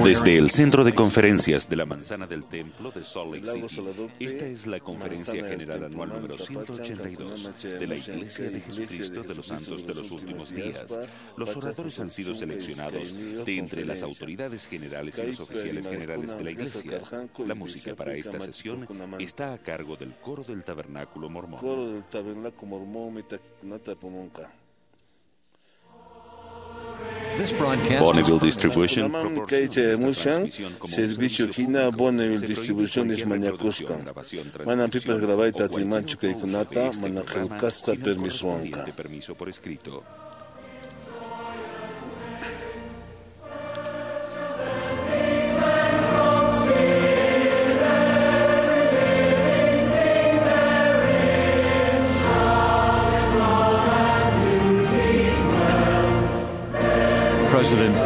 Desde el Centro de Conferencias de la Manzana del Templo de Salt Lake City, esta es la Conferencia General Anual número 182 de la Iglesia de Jesucristo de los Santos de los Últimos Días. Los oradores han sido seleccionados de entre las autoridades generales y los oficiales generales de la Iglesia. La música para esta sesión está a cargo del Coro del Tabernáculo Mormón. Coro del Tabernáculo Mormón. Bonneville Distribution servicio hina Bonneville Distribution mañakusqan. Manam pipas grabayta atinmanchu kaykunata mana qillqasqa permisowanqa. Permiso por escrito.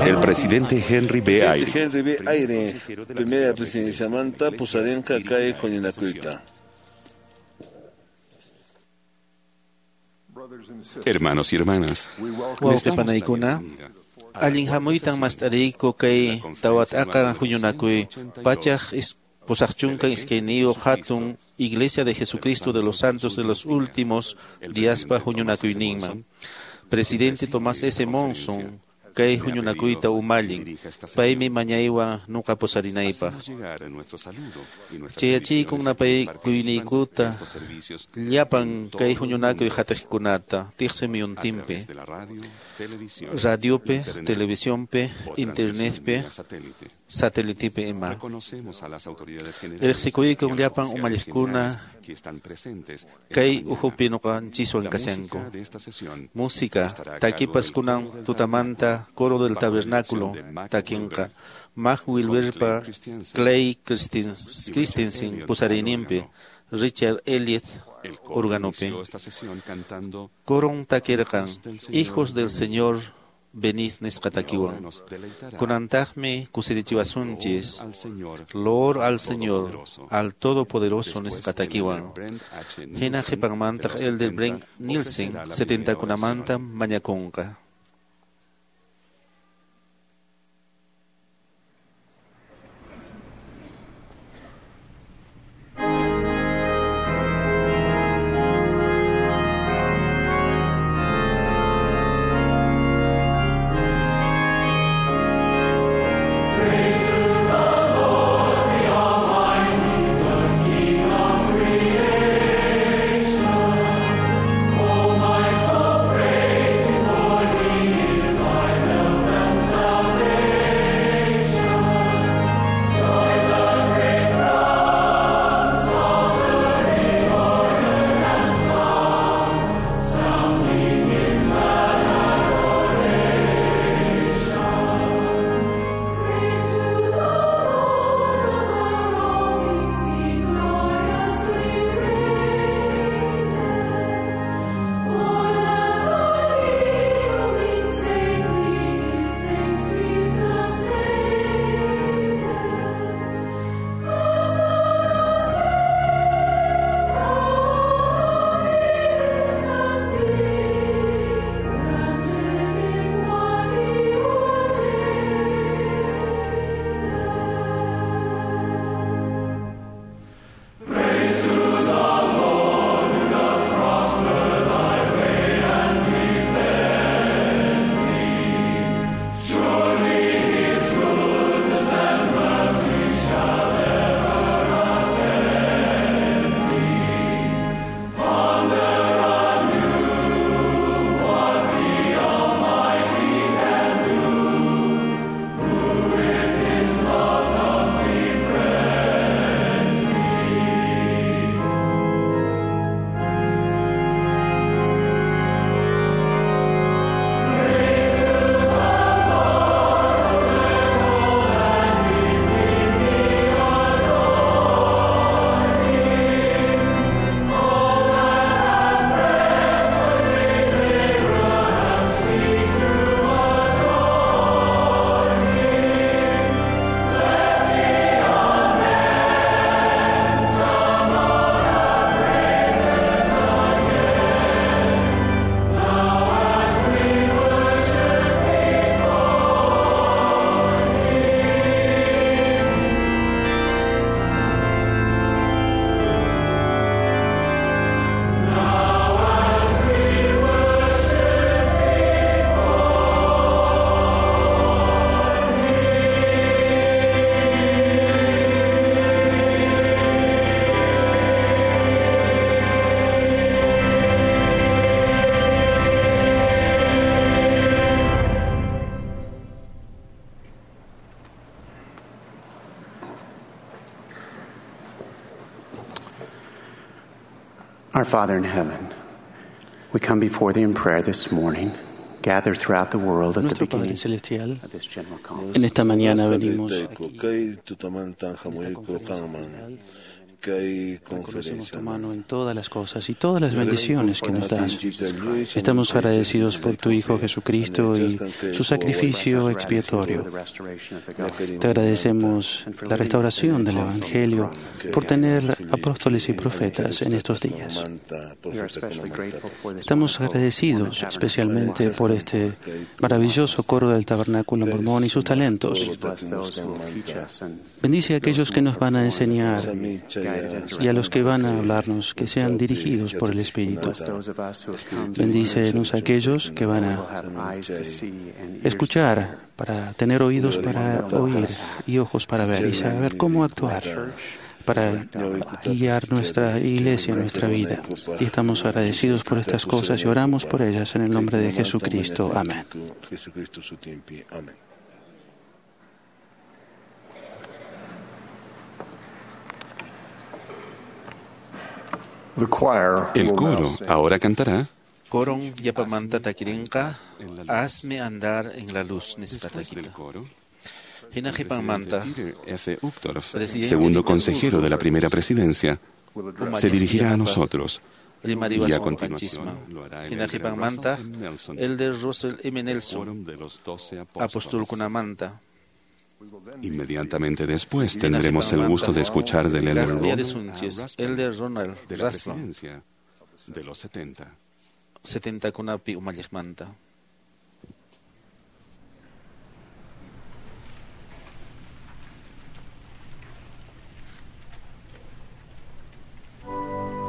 El presidente Henry B. Eyring, Henry B. Eyring, primera presidenciamanta pusarinqa kay huñunakuyta. Hermanos y hermanas, Wawqi panaykuna, allin hamuytan mast'ariyku kay tawat'aqa huñunakuy pachaq 82 hatun Iglesia de Jesucristo de los Santos de los Últimos Díaspa huñunakuyninman. Presidente Tomás S. Monson kay huñunakuyta umallin, paymi mañaywan nuqa pusarinaypaq. Chayachiykun napaykuyniykuta llapan kay huñunakuy hatiqkunata tiqsi muyuntinpi, radiopi, televisionpi, internetpi, satelitipi ima. Riqsikuykun llapan umalliqkuna kay uhupi nuqanchiswan kashanku. Música takipas kunan tutamanta Coro del Tabernáculo takinqa Mac Wilberpa Clay Christensen pusariyninpi, Richard Elliot organopi. Coron takirqan Hijos del Señor venid nisqa takiwan. Kunantaqmi kusirichiwasunchis Loor al Señor, al Todopoderoso nisqa takiwan. Hina qhipanmantaq Elder Brent Nielsen 70kunamanta mañakunqa. Praise the Lord, the Almighty, the King of creation. Oh, my soul, praise Him for He Our Father in heaven, we come before thee in prayer this morning, gathered throughout the world at the Nuestro Padre beginning Celestial, of this general conference. en esta mañana venimos Taytayku, aquí kay tutamantan en esta hamuyku conferencia qanman general. kay Reconocemos tu conferencia. mano en todas las cosas y todas las bendiciones que nos das. Estamos agradecidos por tu Hijo Jesucristo y su sacrificio expiatorio. Te agradecemos la restauración del Evangelio por tener apóstoles y profetas en estos días. Estamos agradecidos especialmente por este maravilloso coro del Tabernáculo Mormón y sus talentos. Bendice a aquellos que nos van a enseñar y a los que van a hablarnos, que sean dirigidos por el Espíritu. Bendícenos a aquellos que van a escuchar, para tener oídos para oír y ojos para ver y saber cómo actuar para guiar nuestra iglesia, nuestra vida. Y estamos agradecidos por estas cosas y oramos por ellas en el nombre de Jesucristo. Amén. Jesucristo sutinpi. Amén. The choir El will now coro sing. ahora cantará Coron yapamanta takirinqa, hazme andar en la luz nispa Después del takita. coro, Hina el qhipanmanta, presidente Dieter F. Uchtdorf, Presidente segundo Dieter consejero de la primera presidencia, se dirigirá a nosotros. Y a rimariwasun continuación qanchisman. lo hará el Hina elder qhipanmanta, Russell M. Nelson, Elder Russell M. Nelson, quórum de los doce apóstoles. apostolkunamanta. Inmediatamente después tendremos el gusto de escuchar del elder Kaq Ronald A. uyarisunchis, Rasband, Elder Ronald de la Rasband, presidencia de los 70. 70kunapi umalliqmanta. Thank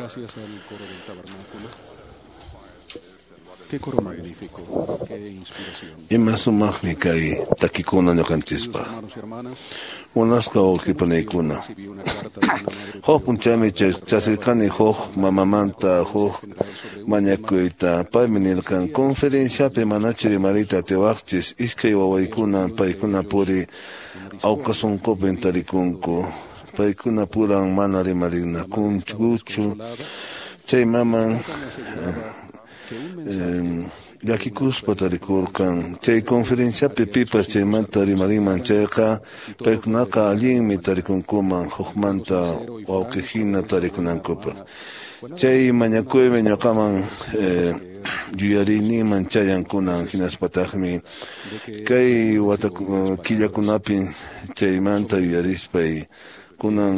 Gracias al coro del tabernáculo. Qué coro magnífico, qué inspiración. Ima sumaqmi kay takikuna ñuqanchispaq. Hermanos y hermanas, Munasqa wawqipanaykuna. recibí una carta de una madre Huk punchawmi chasirqani huk mamamanta huk mañakuyta. Paymi nirqan conferenciapi manachu rimariyta atiwaqchis iskay wawaykuna paykuna puri awqasunqupin tarikunku. Paykuna puran mana rimarinakunkuchu. Chay maman llakikuspa tarikurqan. Chay conferenciapi pipas chaymanta rimarinman chayqa paykunaqa allinmi tarikunkuman hukmanta wawqihina tarikunankupaq. Chay mañakuymi ñuqaman yuyariyninman chayankunan hinaspataqmi kay wata killakunapi chaymanta yuyarispay kunan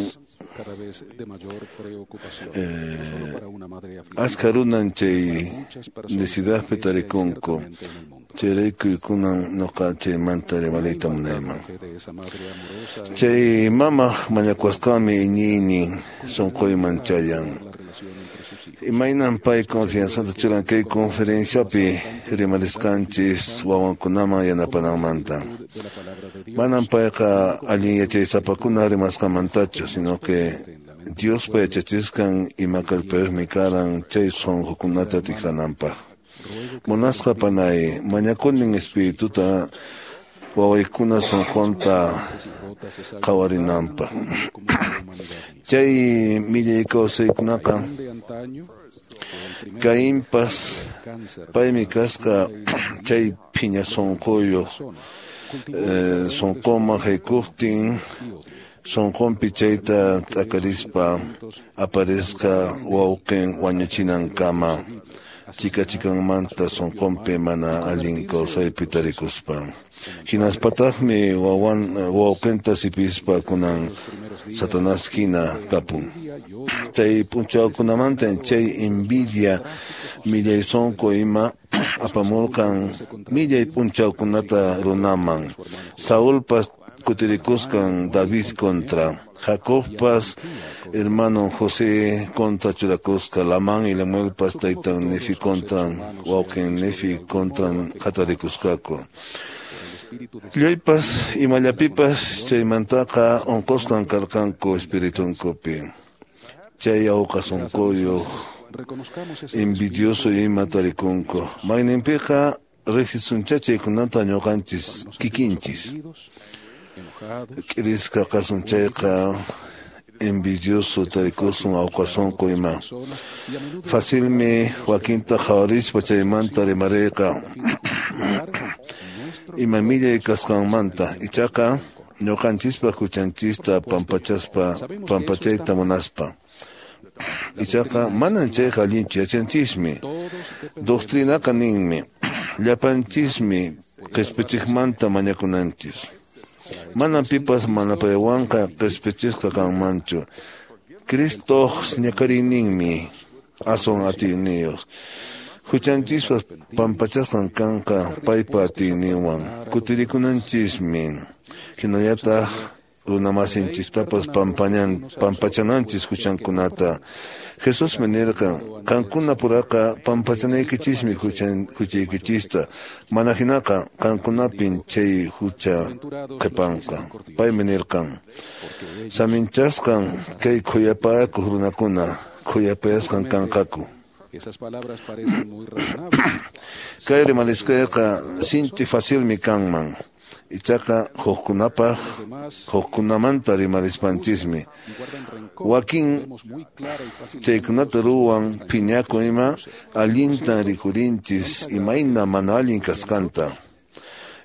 cada vez de mayor preocupación, no solo para una madre afligida, achka runan chay muchas personas necesidadpi tarikunku. ciertamente en el mundo. Chayrayku kunan ñuqa chaymanta rimariyta munayman. La fe de esa madre amorosa Chay mamaq mañakusqanmi iñiynin sunquyman chayan. la relación entre sus hijos. Imaynan pay confianzata churan kay conferenciapi rimarisqanchis wawankunaman yanapananmanta. De la palabra de Dios, Manan payqa allin yachaysapakuna rimasqanmantachu, sino que Diospa yachachisqan ima kallpayuqmi karan chay sunqukunata tikrananpaq. Munasqa panay mañakunin espirituta wawaykuna sunqunta rotas se salvan qhawarinanpaq. como la humanidad misma. Chay millay kawsaykunaqa De antaño fue el primer Cainpas cáncer paymi kasqa chay phiña sunquyuq sunquman haykuqtin sunqunpi chayta t'akarispa aparisqa wawqin wañuchinankama chika chikanmanta sunqunpi mana allin kawsaypi tarikuspa. Hinaspataqmi wawqinta sipispa kunan Satanás hina kapun. Chay p'unchawkunamanta chay envidia millay sunqu ima apamurqan millay p'unchawkunata runaman. Saulpas kutirikusqan David contra. Jacobpas hermano José contra churakusqa. Lamán y Lemuelpas taytan Nefi contra wawqin Nefi contra hatarikusqaku. Lluypas imallapipas chaymantaqa unqusqan karqanku espiritunkupi. Chay awqa sunquyuq reconozcamos ese envidioso ima tarikunku. Mayninpiqa riqsisuncha chaykunata ñuqanchis kikinchis. ofendidos, enojados, K'irisqa qasun chayqa envidioso tarikusun awqa sunqu ima. personas y a menudo Facilmi wakinta qhawarispa chaymanta rimariyqa nuestro ima millay kasqanmanta. Ichaqa ñuqanchispa huchanchista pampachayta munaspa. Ichaqa manan chayqa allinchu yachanchismi. Doctrinaqa ninmi llapanchismi qispichikmanta mañakunanchis. Manan pipas mana paywanqa qispichisqa kanmanchu. Cristoq ñak'ariyninmi aswan atiyniyuq. Huchanchispas pampachasqan kanqa paypa atiyninwan. Kutirikunanchismi. Hinallataq runamasinchistapas pampachananchis huchankunata. Jesusmi nirqan, qankuna puraqa pampachanaykichismi huchaykichista. Mana hinaqa qankunapin chay hucha qhipanqa. Paymi nirqan, saminchasqan kay khuyapayakuq runakuna khuyapayasqan kanqaku. Esas palabras parecen muy razonables. Kay rimarisqayqa sinchi facilmi kanman. Ichaqa hukkunapaq hukkunamanta rimarispanchismi. Y guardan rencor. Wakin Vemos muy clara y fácilmente chaykunata ruwan phiñaku ima allintan rikurinchis imayna mana allin kasqanta.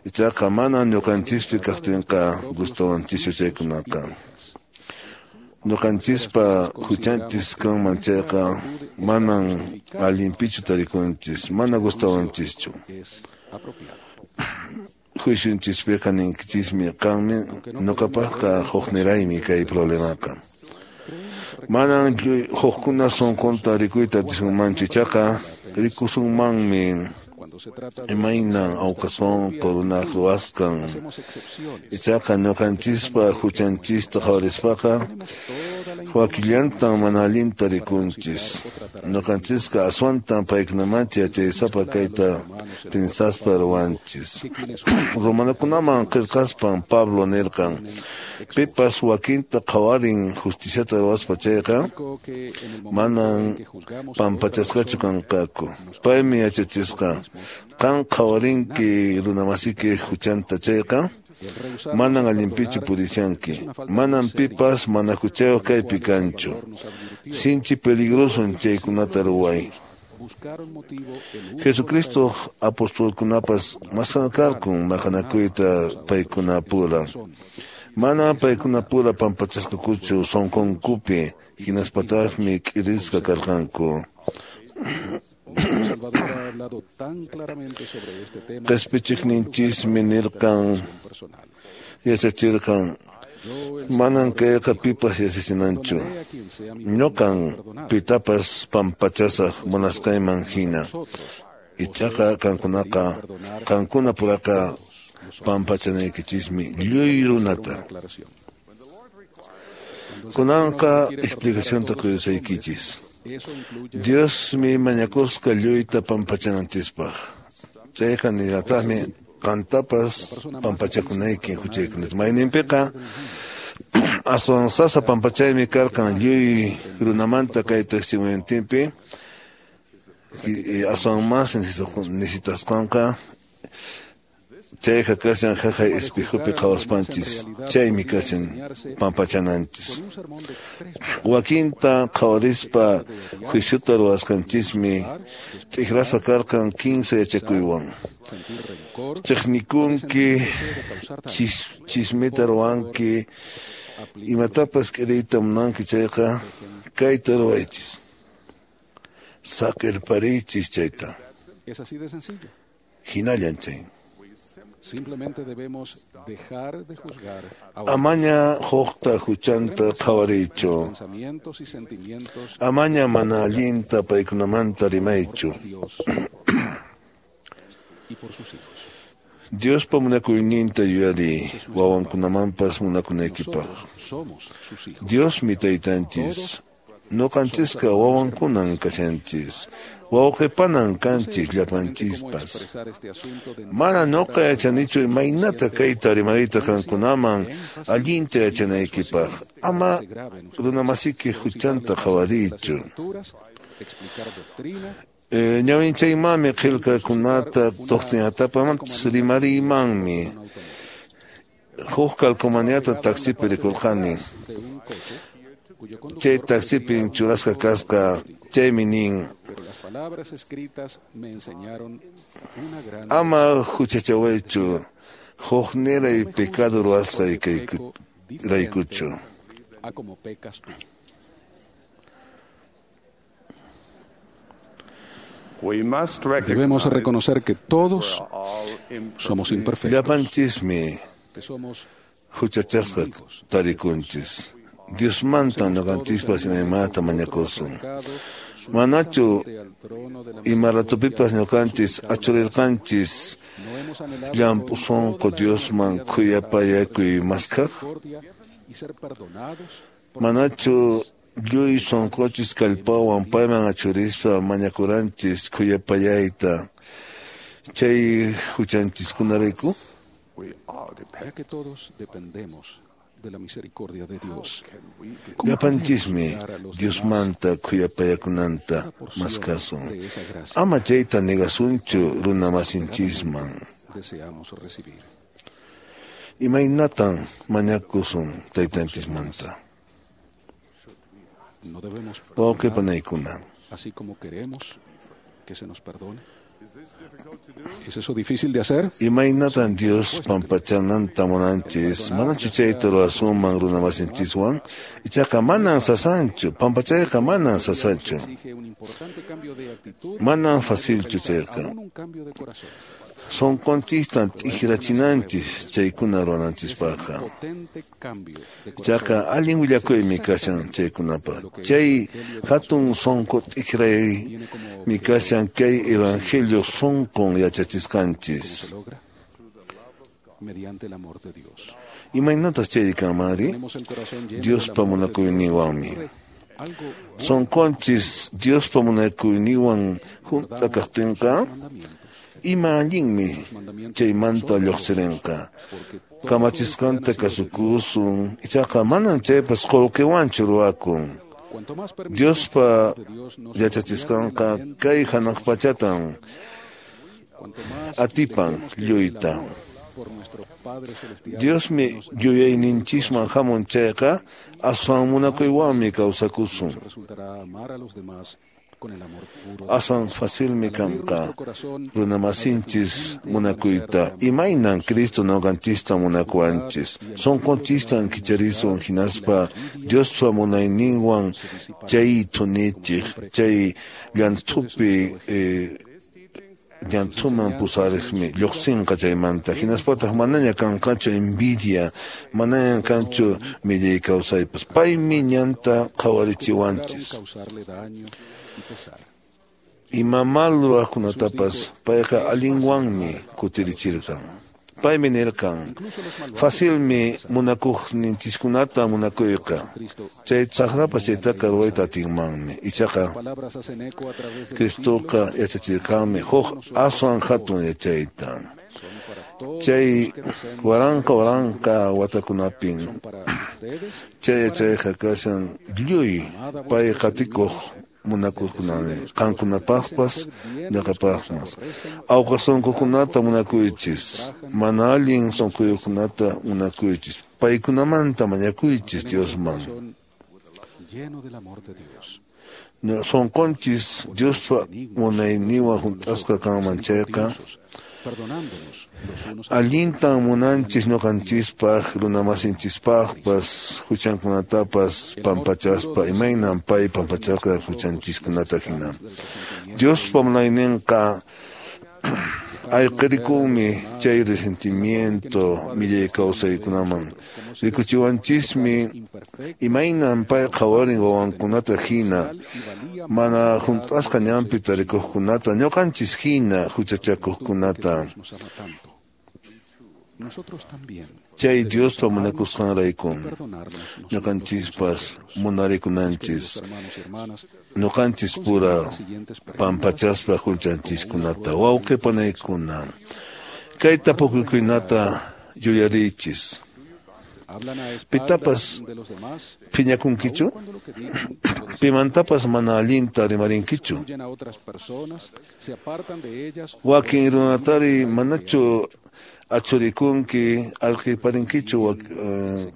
Ichaqa mana ñuqanchispi kaqtinqa gustawanchischu chaykunaqa. Ñuqanchispa huchanchis kanman chayqa manan allinpichu tarikunchis, mana gustawanchischu. es apropiado. Juiciunchispiqa ninkichismi qanmi ñuqapaqqa hukniraymi kay problemaqa. Manan hukkuna sunqunta rikuyta atisunmanchu, ichaqa rikusunmanmi Cuando se trata de imaynan awqa sunqu runaq ruwasqan. hacemos excepciones. Ichaqa ñuqanchispa huchanchista qhawarispaqa Tenemos toda la Wakillantan mana allinta rikunchis. Ñuqanchisqa aswantan paykunamanta yachaysapa kayta pinsaspa ruwanchis. Romanokunaman qillqaspan Pablo nirqan, pipas wakinta qhawarin justiciata ruwaspa chayqa manan pampachasqachu kanqaku. Paymi yachachisqa, qan qhawarinki runamasiki huchanta chayqa manan allinpichu purishanki, manan pipas mana huchayuq kaypi kanchu. Sinchi peligroson chaykunata ruway. Jesucristo apostolkunapas maskarqun maqanakuyta paykunapura. Mana paykunapura pampachasqakuchu sunqunkupi, hinaspataqmi k'irisqa karqanku. Qhispichiqninchismi nirqan, yachachirqan, manan kayqa pipas yachachinanchu. Ñuqan pitapas pampachasaq munasqayman hina. Ichaqa qankunaqa, qankunapuraqa pampachanaykichismi lluy runata. Kunanqa explicacionta quyusaykichis. Diosmi mañakusqa lluyta pampachananchispaq. Chayqa nillataqmi qantapas pampachakunayki huchaykunata. Mayninpiqa aswan sasa pampachaymi karqan lluy runamanta kay testimoniotinpi, aswan mas necesitasqanqa chayqa kashan jaqay espejopi qhawaspanchis, chaymi kashan pampachananchis. Wakinta qhawarispa juiciota ruwasqanchismi t'ikrasqa karqan 15 yachakuywan. Chiqnikunki, chismita ruwanki, imatapas k'iriyta munanki chayqa kayta ruwaychis. Saqirpariychis chayta. Hinallan chay. Simplemente debemos dejar de juzgar Amaña huqta huchanta qhawariychu. Amaña mana allinta paykunamanta rimaychu. Diospa munakuyninta yuyariy, wawankunamanpas munakunaykipaq. Diosmi taytanchis. Ñuqanchisqa wawankunan kashanchis. Wawqipanan kanchis llapanchispas. Mana ñuqa yachanichu imaynata kayta rimariyta qankunaman allinta yachanaykipaq. Ama runamasiki huchanta qhawariychu. Ñawinchaymanmi qillqakunata tuqtinatapamantas rimariymanmi. Huk calcomaniata taxipi rikurqani. Chay taxipin churasqa kasqa, chaymi nin, ama huchachawaychu, hukniray pecado ruwasqay raykuchu. Debemos reconocer que todos somos imperfectos. Llapanchismi huchachasqa tarikunchis. Diosmantan ñuqanchispas imaymanta mañakusun. Manachu ima ratupipas ñuqanchis achurirqanchis llamp'u sunqu Diosman khuyapayakuy maskhaq? Manachu lluy sunquchis kallpawan payman achurispa mañakuranchis khuyapayayta chay huchanchiskunarayku? Ya que todos dependemos de la misericordia de Dios. Llapanchismi Diosmanta khuyapayakunanta maskasun. Ama chayta negasunchu runamasinchisman. Deseamos recibir. Imaynatan mañakusun taytanchismanta. No debemos Wawqi panaykuna. Así como queremos que se nos perdone. ¿Es eso difícil de hacer? Imaynatan Dios pampachananta munanchis, manachu chayta ruwasunman runamasinchiswan, ichaqa manan sasanchu, pampachayqa manan sasanchu. Manan facilchu chayqa. Sunqunchistan t'ikrachinanchis chaykuna ruwananchispaqqa. Ichaqa allin willakuymi kashan chaykunapaq. Chay hatun sunqu t'ikraymi kashan kay evangelio sunqun yachachisqanchis. Imaynataq chayri kanmanri? Diospa munakuyninwanmi. Sonqonchis Diospa munakuyninwan hunt'a kaqtinqa, ima allinmi chaymanta lluqsirinqa. Kamachisqanta kasukusun, ichaqa manan chaypas qullqiwanchu ruwakun. Diospa yachachisqanqa kay hanaq pachatan atipan lluyta. Diosmi yuyayninchisman hamun chayqa aswan munakuywanmi kawsakusun. Aswan facilmi kanqa runamasinchis munakuyta. Imaynan Cristo ñuqanchista munakuwanchis. Sunqunchistan kicharisun hinaspa Diospa munayninwan chay thunichiq, chay llanthupi llanthuman pusariqmi lluqsinqa chaymanta. Hinaspataq manaña kanqachu envidia, manaña kanchu millay kawsaypas. Paymi ñanta qhawarichiwanchis. Ima mal ruwaqkunatapas payqa allinwanmi kutirichirqan. Paymi nirqan, facilmi munakuqninchiskunata munakuyqa. Chay saqrapas chaytaqa ruwayta atinmanmi. Ichaqa Cristoqa yachachirqanmi huk aswan hatun yachayta. Chay waranqa waranqa watakunapin chay yachayqa kashan lluy pay qatikuq munakuqkunami, qankunapaqpas ñuqapaqpas. Awqa sunqukunata munakuychis, mana allin sunquyuqkunata munakuychis, paykunamanta mañakuychis Diosman. Sunqunchis Diospa munayninwan hunt'asqa kanman chayqa, allintan munanchis ñuqanchispaq, runamasinchispaqpas, huchankunatapas pampachaspa, imaynan pay pampacharqa huchanchiskunata hina. Diospa munayninqa ayqirikunmi chay resentimiento millay kawsaykunaman. Rikuchiwanchismi imaynan pay qhawarin wawankunata hina, mana hunt'asqa ñanpi tarikuqkunata, ñuqanchis hina huchachakuqkunata. Chay Diospa munakusqanraykun ñuqanchispas munarikunanchis, ñuqanchis pura pampachaspa huchanchiskunata. Wawqi panaykuna, kay tapukuykunata yuyariychis. Pitapas phiñakunkichu? Pimantapas mana allinta rimarinkichu? Wakin runatari manachu achurikunki, alqiparinkichu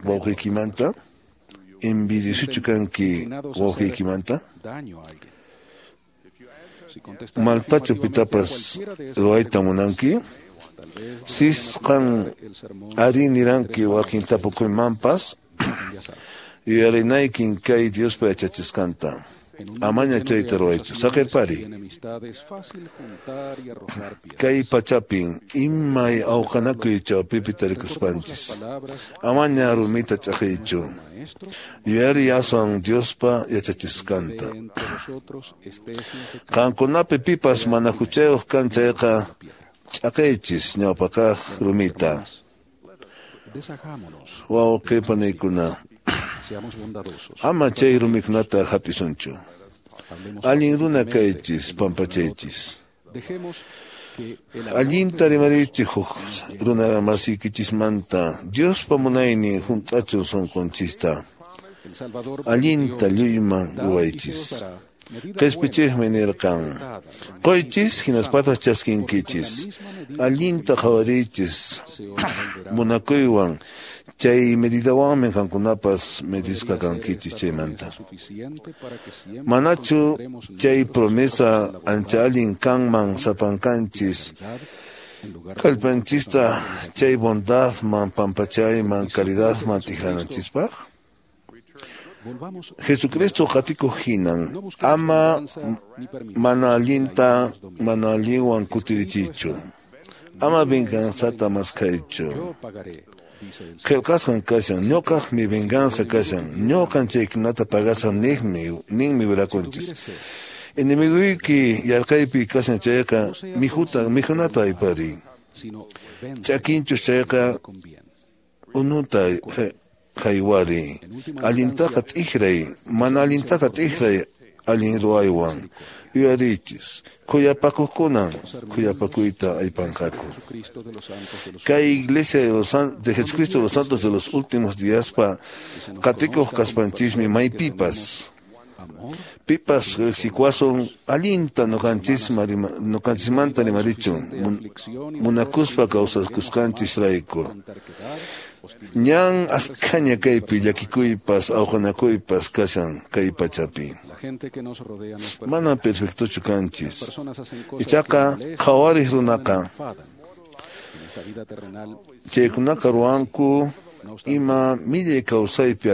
wawqiykimanta? Envidiosuchu kanki wawqiykimanta? Maltachu pitapas ruwayta munanki? Sis qan ari niranki wakin tapukuymanpas, yuyarinaykin kay Diospa yachachisqanta. Amaña chayta ruwaychu, saqirpari. Kay pachapin imay awqanakuy chawpipi tarikuspanchis. Amaña rumita ch'aqiychu. Yuyari aswan Diospa yachachisqanta. Qankunapi pipas mana huchayuq kan chayqa ch'aqiychis ñawpakaq rumita. Wawqi panaykuna, ama chay rumikunata hap'isunchu. Allin runa kaychis, pampachaychis. Allinta rimariychis huk runa masiykichismanta. Diospa munaynin hunt'achun sunqunchista. Allinta lluyman ruwaychis. Qhispichiqmi nirqan, quychis hinaspataq chaskinkichis. Allinta qhawariychis munakuywan, chay medidawanmi qankunapas medisqa kankichis chaymanta. Manachu chay promesa ancha allin kanman sapankanchis kallpanchista chay bondadman, pampachayman, caridadman tikranachispaq? Jesucristo qatikuq hinan, ama mana allinta mana allinwan kutirichiychu. Ama venganzata maskhaychu. Qillqasqan kashan, ñuqaqmi venganza kashan, ñuqan chaykunata pagasaq ninmi wirakunchis. Enemiguyki yarqaypi kashan chayqa mikhunata aypariy. Chakinchus chayqa Unuta haywari, allintaqa t'ikray, mana allintaqa t'ikray allin ruwaywan. Yuyarichis, khuyapakuqkunan khuyapakuyta aypanqaku. Kay Iglesia de Jesucristo de los Santos de los Últimos Díaspa qatikuq kaspanchismi maypipas. Pipas riqsikuwasun allinta nuqanchismanta rimarichun munakuspa kawsakusqanchisrayku. Ñan askhaña kaypi llakikuypas awqanakuypas kashan kay pachapi. Mana perfectochu kanchis. Ichaqa qhawariq runaqa chaykunaqa ruwanku ima millay kawsaypi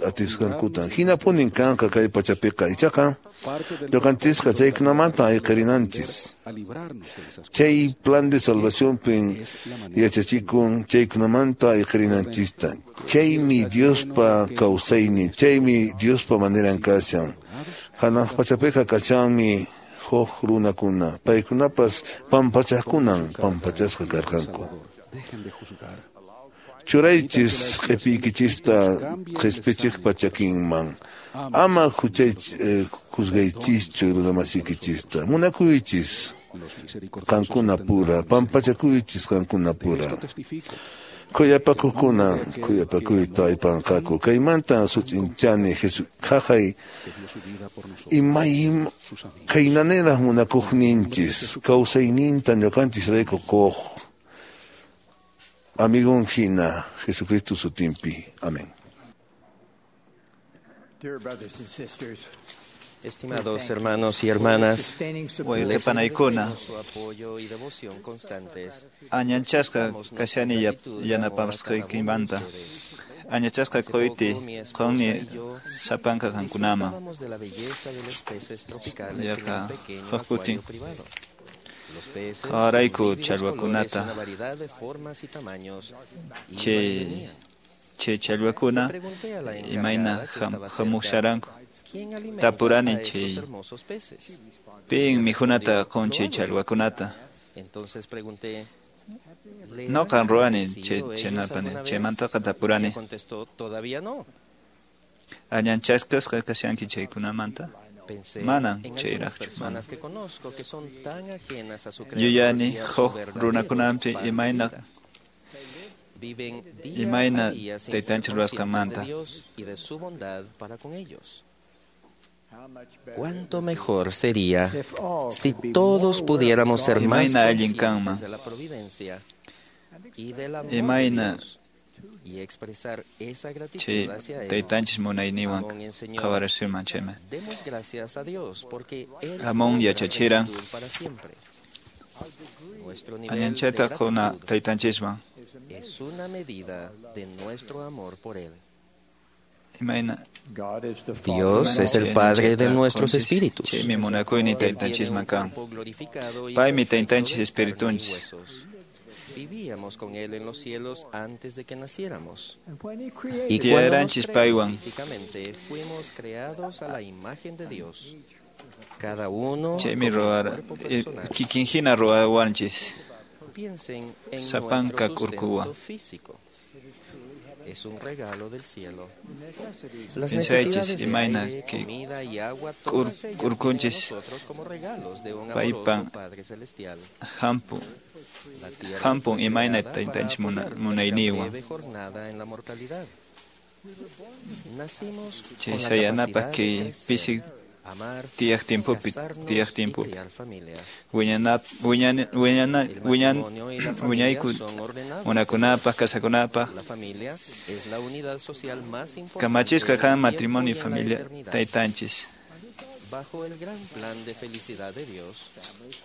atisqankutan. Hinapunin kanqa kay pachapiqa. Ichaqa ñuqanchisqa chaykunamanta ayqirinanchis. Chay plan de salvacionpin yachachikun chaykunamanta ayqirinanchista. Chaymi Diospa kawsaynin, chaymi Diospa maneran kashan. Hanaq pachapiqa kashanmi huk runakuna, paykunapas pampachaqkunan pampachasqa karqanku. Churaychis q'ipiykichista qhispichiqpa chakinman. Ama juzgaychischu runamasiykichista. Munakuychis qankuna pura, pampachakuychis qankuna pura. Khuyapakuqkuna khuyapakuyta aypanqaku. Kaymanta sut'inchani haqay imay khaynaniraq munakuqninchis kawsayninta ñuqanchisrayku quq amigon hina Jesucristo sutinpi. Amén. Estimados hermanos y hermanas, les panaykuna agradecemos su apoyo y devoción constantes. Añanchasqa kashani yanapasqaykimanta. Añachasqa qoyti qonni sapanka qankunaman. Disfrutábamos de la belleza de los peces tropicales en Yaqa un pequeño huk kutin acuario privado. Los peces Qhawarayku con vívidos colores, challwakunata. una variedad de formas y tamaños iban y Chay venían. chay challwakuna Le pregunté a la imayna encargada que estaba cerca, hamusharanku. ¿quién alimenta Tapurani a estos chay hermosos peces? pin mikhunata qun chay challwakunata. Entonces pregunté, ¿le Noqan han ruwani chay agradecido ellos chaynapani alguna vez? chaymantaqa Ella tapurani. contestó, todavía no. Añanchasqasqa kashanki chaykunamanta. Pensé Manan en algunas chayraqchu mana. personas que conozco que son tan ajenas a su creador Yuyani y a su huk verdadero runakunampi plan de imayna vida. Viven día imayna a día sin ser taytanchik conscientes de ruwasqanmanta. Dios y de su bondad para con ellos. Cuánto mejor sería si todos pudiéramos ser más Imayna allin conscientes kanman. de la providencia y del amor de Imayna Dios y expresar esa gratitud chay hacia Él. taytanchik munayninwan Amón enseñó, qhawarashirman chayman. Demos gracias a Dios porque Él Amón obra yachachiran. rectitud para siempre. Nuestro nivel de Añanchayta quna gratitud taytanchisman. es una medida de nuestro amor por Él. Imayna Dios es el chay Padre de añanchayta nuestros qunchis, espíritus. Chaymi munakuynin Él tiene un taytanchisman kan. cuerpo glorificado y Paymi perfecto taytanchis de carne y espiritunchis. huesos. Vivíamos con Él en los cielos antes de que naciéramos. Y cuando nos Tiyaranchis creó paywan. físicamente, fuimos creados a la imagen de Dios. Cada uno Chaymi con un ruwara cuerpo personal. kikinhina ruwawanchis. Piensen en Sapanka nuestro kurkuwan. sustento físico. Es un regalo del cielo. Las Piensaychis necesidades de imayna aire, kay comida y agua, todas ellas vienen a kurkunchis nosotros como regalos de un amoroso paypan Padre Celestial. hampu La tierra hampun fue imayna creada para taytanchis apoyar nuestra munayninwan. breve jornada en la mortalidad. Nacimos Chay con la sayanapaq capacidad de kay crecer, pisi amar, tiyaq tiempopi casarnos tiyaq y tiempopi criar familias. wiñanap wiñan wiñana El wiñan matrimonio y la familia wiñayku son ordenados por munakunapaq Dios. kasakunapaq La familia es la unidad social más importante kamachisqa en el kan tiempo matrimonio y y en la familia eternidad. taytanchis. Bajo el gran plan de felicidad de Dios,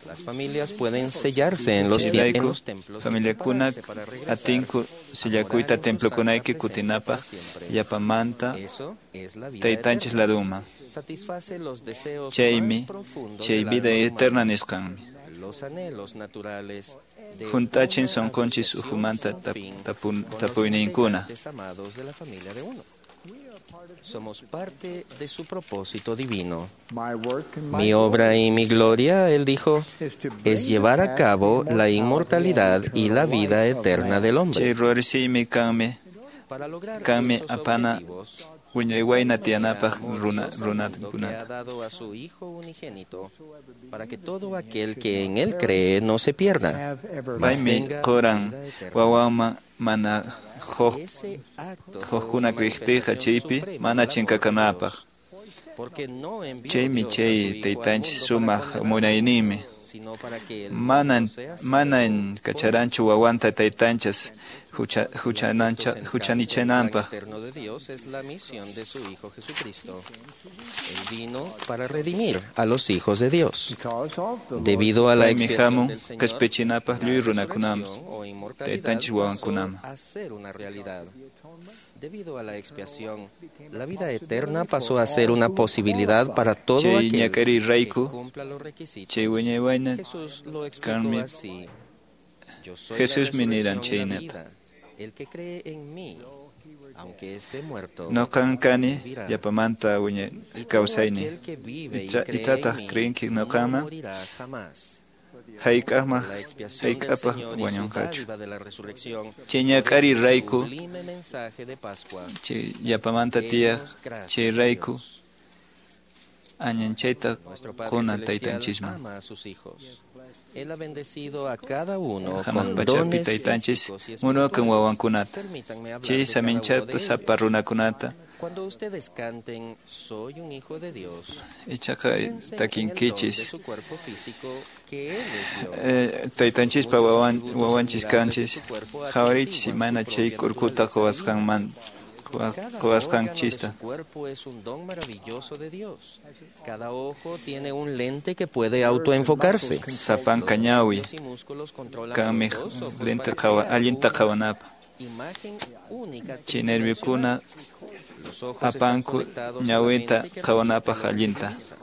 las familias pueden sellarse en los, en Chayrayku los templos y familiakuna prepararse para regresar atinku a morar sillakuyta en su santa templokunayki presencia para kutinapaq siempre. yapamanta Eso es la vida taytanchis eterna. laduman. Satisface los deseos más Chaymi profundos chay del vida alma eterna humana, nisqanmi. los anhelos naturales de Hunt'achin una sunqunchis asociación ukhumanta sin fin con los tapuyninkuna. integrantes amados de la familia de uno. Somos parte de su propósito divino. Mi obra y mi gloria, él dijo, es llevar a cabo la inmortalidad y la vida eterna del Chay hombre. ruwarisiymi kanmi Kanmi apana wiñay wayna tiyanapaq runakunata. Ha dado a su Hijo unigénito para que todo aquel que en él cree no se pierda, mas Paymi tenga quran vida eterna. wawanman mana Ese acto fue hukkuna una kriqtiqa manifestación chaypi suprema mana del amor de chinkakanapaq. Dios, porque no envió Chaymi Dios a su chay Hijo al taytanchis mundo para sumaq condenarlo, munayninmi. sino para que el Manan mundo sea salvo manan kacharanchu wawanta taytanchas El plan huchanichananpaq. eterno de Dios es la misión de su Hijo Jesucristo. Él vino para redimir a los hijos de Dios. Debido a la Paymi expiación hamun del Señor, qhispichinapaq la lliw runakunaman resurrección o inmortalidad taytanchis pasó wawankunaman. a ser una realidad. Debido a la expiación, la vida eterna pasó a ser una posibilidad para todo Chay aquel que ñak'ariy-rayku cumpla los requisitos. chay wiñay wayna Jesús lo explicó kanmi así. Yo soy la Jesusmi niran resurrección y la chaynata. vida. El que cree en mí, aunque esté muerto, Nuqan kani vivirá. yapamanta wiñay Y todo kawsayni. aquel que vive y Icha- cree en Itataq mí, kriyinki no nuqaman morirá jamás. hayk'aqmaq La expiación del hayk'apaq Señor y su wañunqachu. dádiva de la resurrección Chay ñak'ariy-rayku sublime mensaje de Pascua. chay yapamanta tiyaq Demos gracias a chayrayku Dios. añanchayta Nuestro Padre qunan Celestial taytanchisman. ama a sus hijos. Él ha bendecido a cada uno Hanaq con pachapi dones taytanchis físicos y munakun espirituales. wawankunata. Permítanme hablar Chay de cada uno de saminchata ellos. sapa runakunata Cuando ustedes canten Soy un hijo de Dios, ichaqa piensen en el don de takinkichis. su cuerpo físico que Él les dio. Taytanchispa Muchos wawan atributos wawanchis admirables de kanchis su cuerpo qhawarichis atestiguan imayna su chay propia kurkuta naturaleza quwasqanman divina. Cada órgano de quwasqanchista. su cuerpo es un don maravilloso de Dios. Cada ojo tiene un lente que puede autoenfocarse. Sapanka Los ñawi nervios y músculos controlan kanmi los dos ojos lente para qhawa crear allinta una qhawanapaq. imagen única Chay nerviokuna tridimensional. Los ojos están apanku conectados a la ñawinta mente que qhawanapaq registra lo que se allinta. visualiza.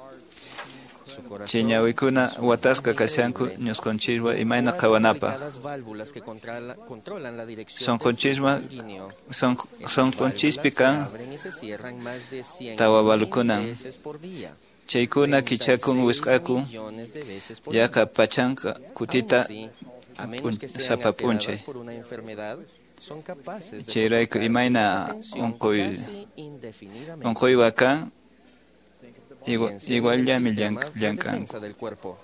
Su Chay corazón ñawikuna es un watasqa don kashanku increíble. ñusqonchiswan Tiene imayna cuatro qhawanapaq. complicadas válvulas que controlan la dirección del flujo Sunqunchisman sanguíneo. Esas sunqunchispi válvulas se kan abren y se cierran más de 100.000 tawa valukunan. veces por día, Chaykuna kichakun 36 wisq'akun millones de veces por yaqa día. pachanqa Aún kutita así, a menos que sean sapa alteradas p'unchay. por una enfermedad, son capaces de Chayrayku soportar imayna esa tensión unquy casi indefinidamente. unquywan kan Piensen en el iguallami sistema de llamk'anku. defensa del cuerpo.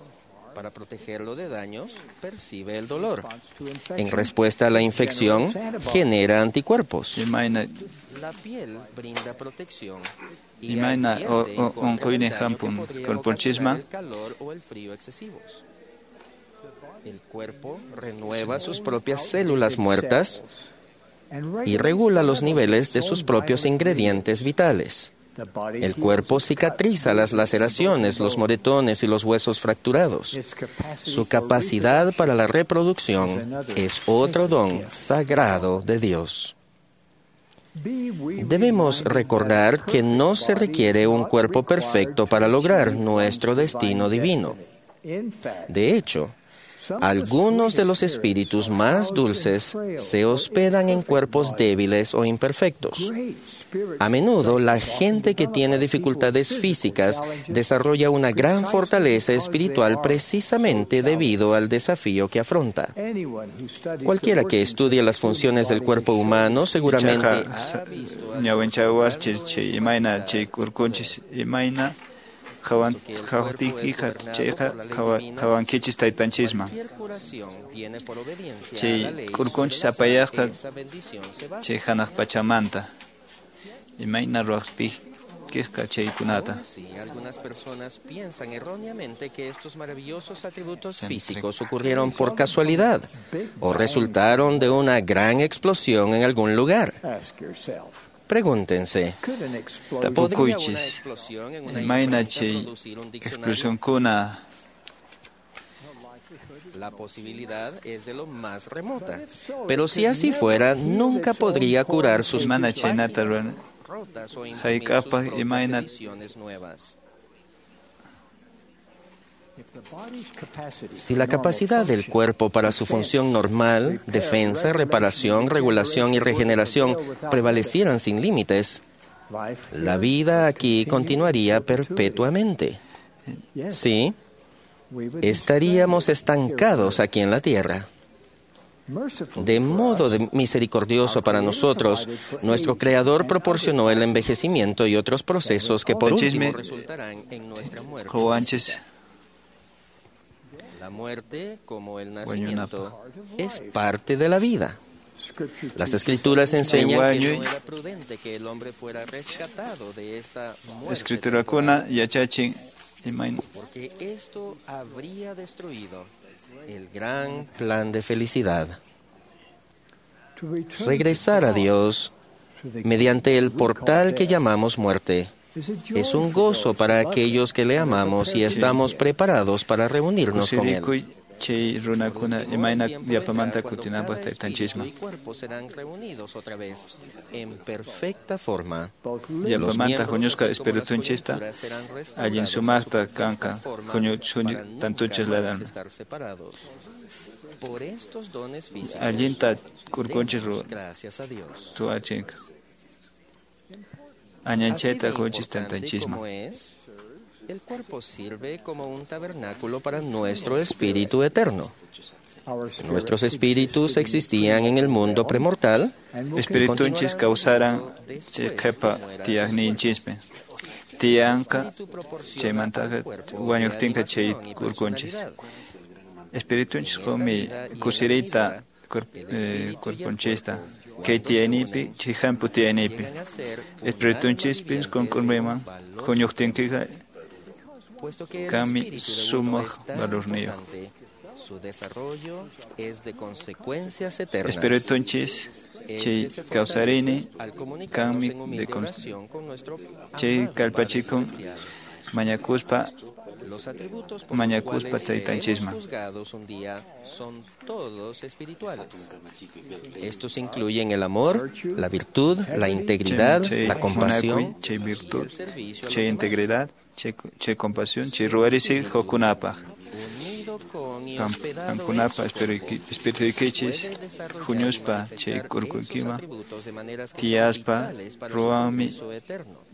Para protegerlo de daños, percibe el dolor. En respuesta a la infección, genera anticuerpos. Imayna La piel brinda protección y imayna advierte en contra del unquynin daño que hampun podría ocasionar kurpunchisman el calor o el frío excesivos. El cuerpo renueva sus propias células muertas y regula los niveles de sus propios ingredientes vitales. El cuerpo cicatriza las laceraciones, los moretones y los huesos fracturados. Su capacidad para la reproducción es otro don sagrado de Dios. Debemos recordar que no se requiere un cuerpo perfecto para lograr nuestro destino divino. De hecho, algunos de los espíritus más dulces se hospedan en cuerpos débiles o imperfectos. A menudo, la gente que tiene dificultades físicas desarrolla una gran fortaleza espiritual precisamente debido al desafío que afronta. Cualquiera que estudie las funciones del cuerpo humano seguramente Ichaqa ñawinchawarchis chay imayna chay kurkunchis imayna qhawaqtiykiqa chayqa qhawankichis taytanchisman. Chay kurkunchis apayaqqa chay hanaq pachamanta imayna ruwaqtiykiqa chaykunata. Aún así, algunas personas piensan erróneamente que estos maravillosos atributos físicos ocurrieron por casualidad o resultaron de una gran explosión en algún lugar. Pregúntense, ¿podría una Tapukuychis explosión en una imayna imprenta chay producir un diccionario? explosionkuna La posibilidad es de lo más remota. Pero si así fuera, nunca podría curar sus mana chaynata páginas ruwan rotas o imprimir sus hayk'apaq propias imayna ediciones nuevas. Si la capacidad del cuerpo para su función normal, defensa, reparación, regulación y regeneración prevalecieran sin límites, la vida aquí continuaría perpetuamente. Sí, estaríamos estancados aquí en la Tierra. De modo misericordioso para nosotros, nuestro Creador proporcionó el envejecimiento y otros procesos que por último resultarán en nuestra muerte. La muerte, como el nacimiento, es parte de la vida. Las Escrituras enseñan que no era prudente que el hombre fuera rescatado de esta muerte temporal, porque esto habría destruido el gran plan de felicidad. Regresar a Dios mediante el portal que llamamos muerte es un gozo para aquellos que le amamos y estamos preparados para reunirnos con Él. Chay runakuna imayna yapamanta kutinapaq taytanchisman. Y cuerpo serán reunidos otra vez en perfecta forma. Yapamanta huñusqa espiritunchista allin sumaqta kanqa huñu tantunchis ladan. Por estos dones físicos, allinta kurkunchis gracias a Dios. Tuachinka. Añanchayta qunchis taytanchisman. El cuerpo sirve como un tabernáculo para nuestro espíritu eterno. Nuestros espíritus existían en el mundo premortal. Espiritunchis kawsaran chay qhipa tiyaqninchispi. Tiyanqa chaymantaqa wañuqtinqa chay kurkunchis. Espiritunchis qunmi kusiriyta kurkunchista. Kay tiyaynipi, chay hampu tiyaynipi. Espiritunchispis kunkurmiman huñuqtinkiqa kanmi sumaq valorniyuq. Su desarrollo es de consecuencias eternas. Espiritunchis chay kawsarini kanmi de chay kallpachikun mañakuspa Los atributos por mañakuspa los cuales seremos taytanchisman. juzgados un día son todos espirituales. Estos incluyen el amor, la virtud, la integridad, Chay la compasión munakuy, chay virtud, y el servicio a los chay demás. integridad, chay compasión, chay ruwarisi huqkunapaq. Unido con y hospedado en Qamkunapa su cuerpo, espirituykichis puede desarrollar y huñuspa chay manifestar esos kurkuykiman atributos de maneras que son tiyaspa vitales para su ruwanmi progreso eterno.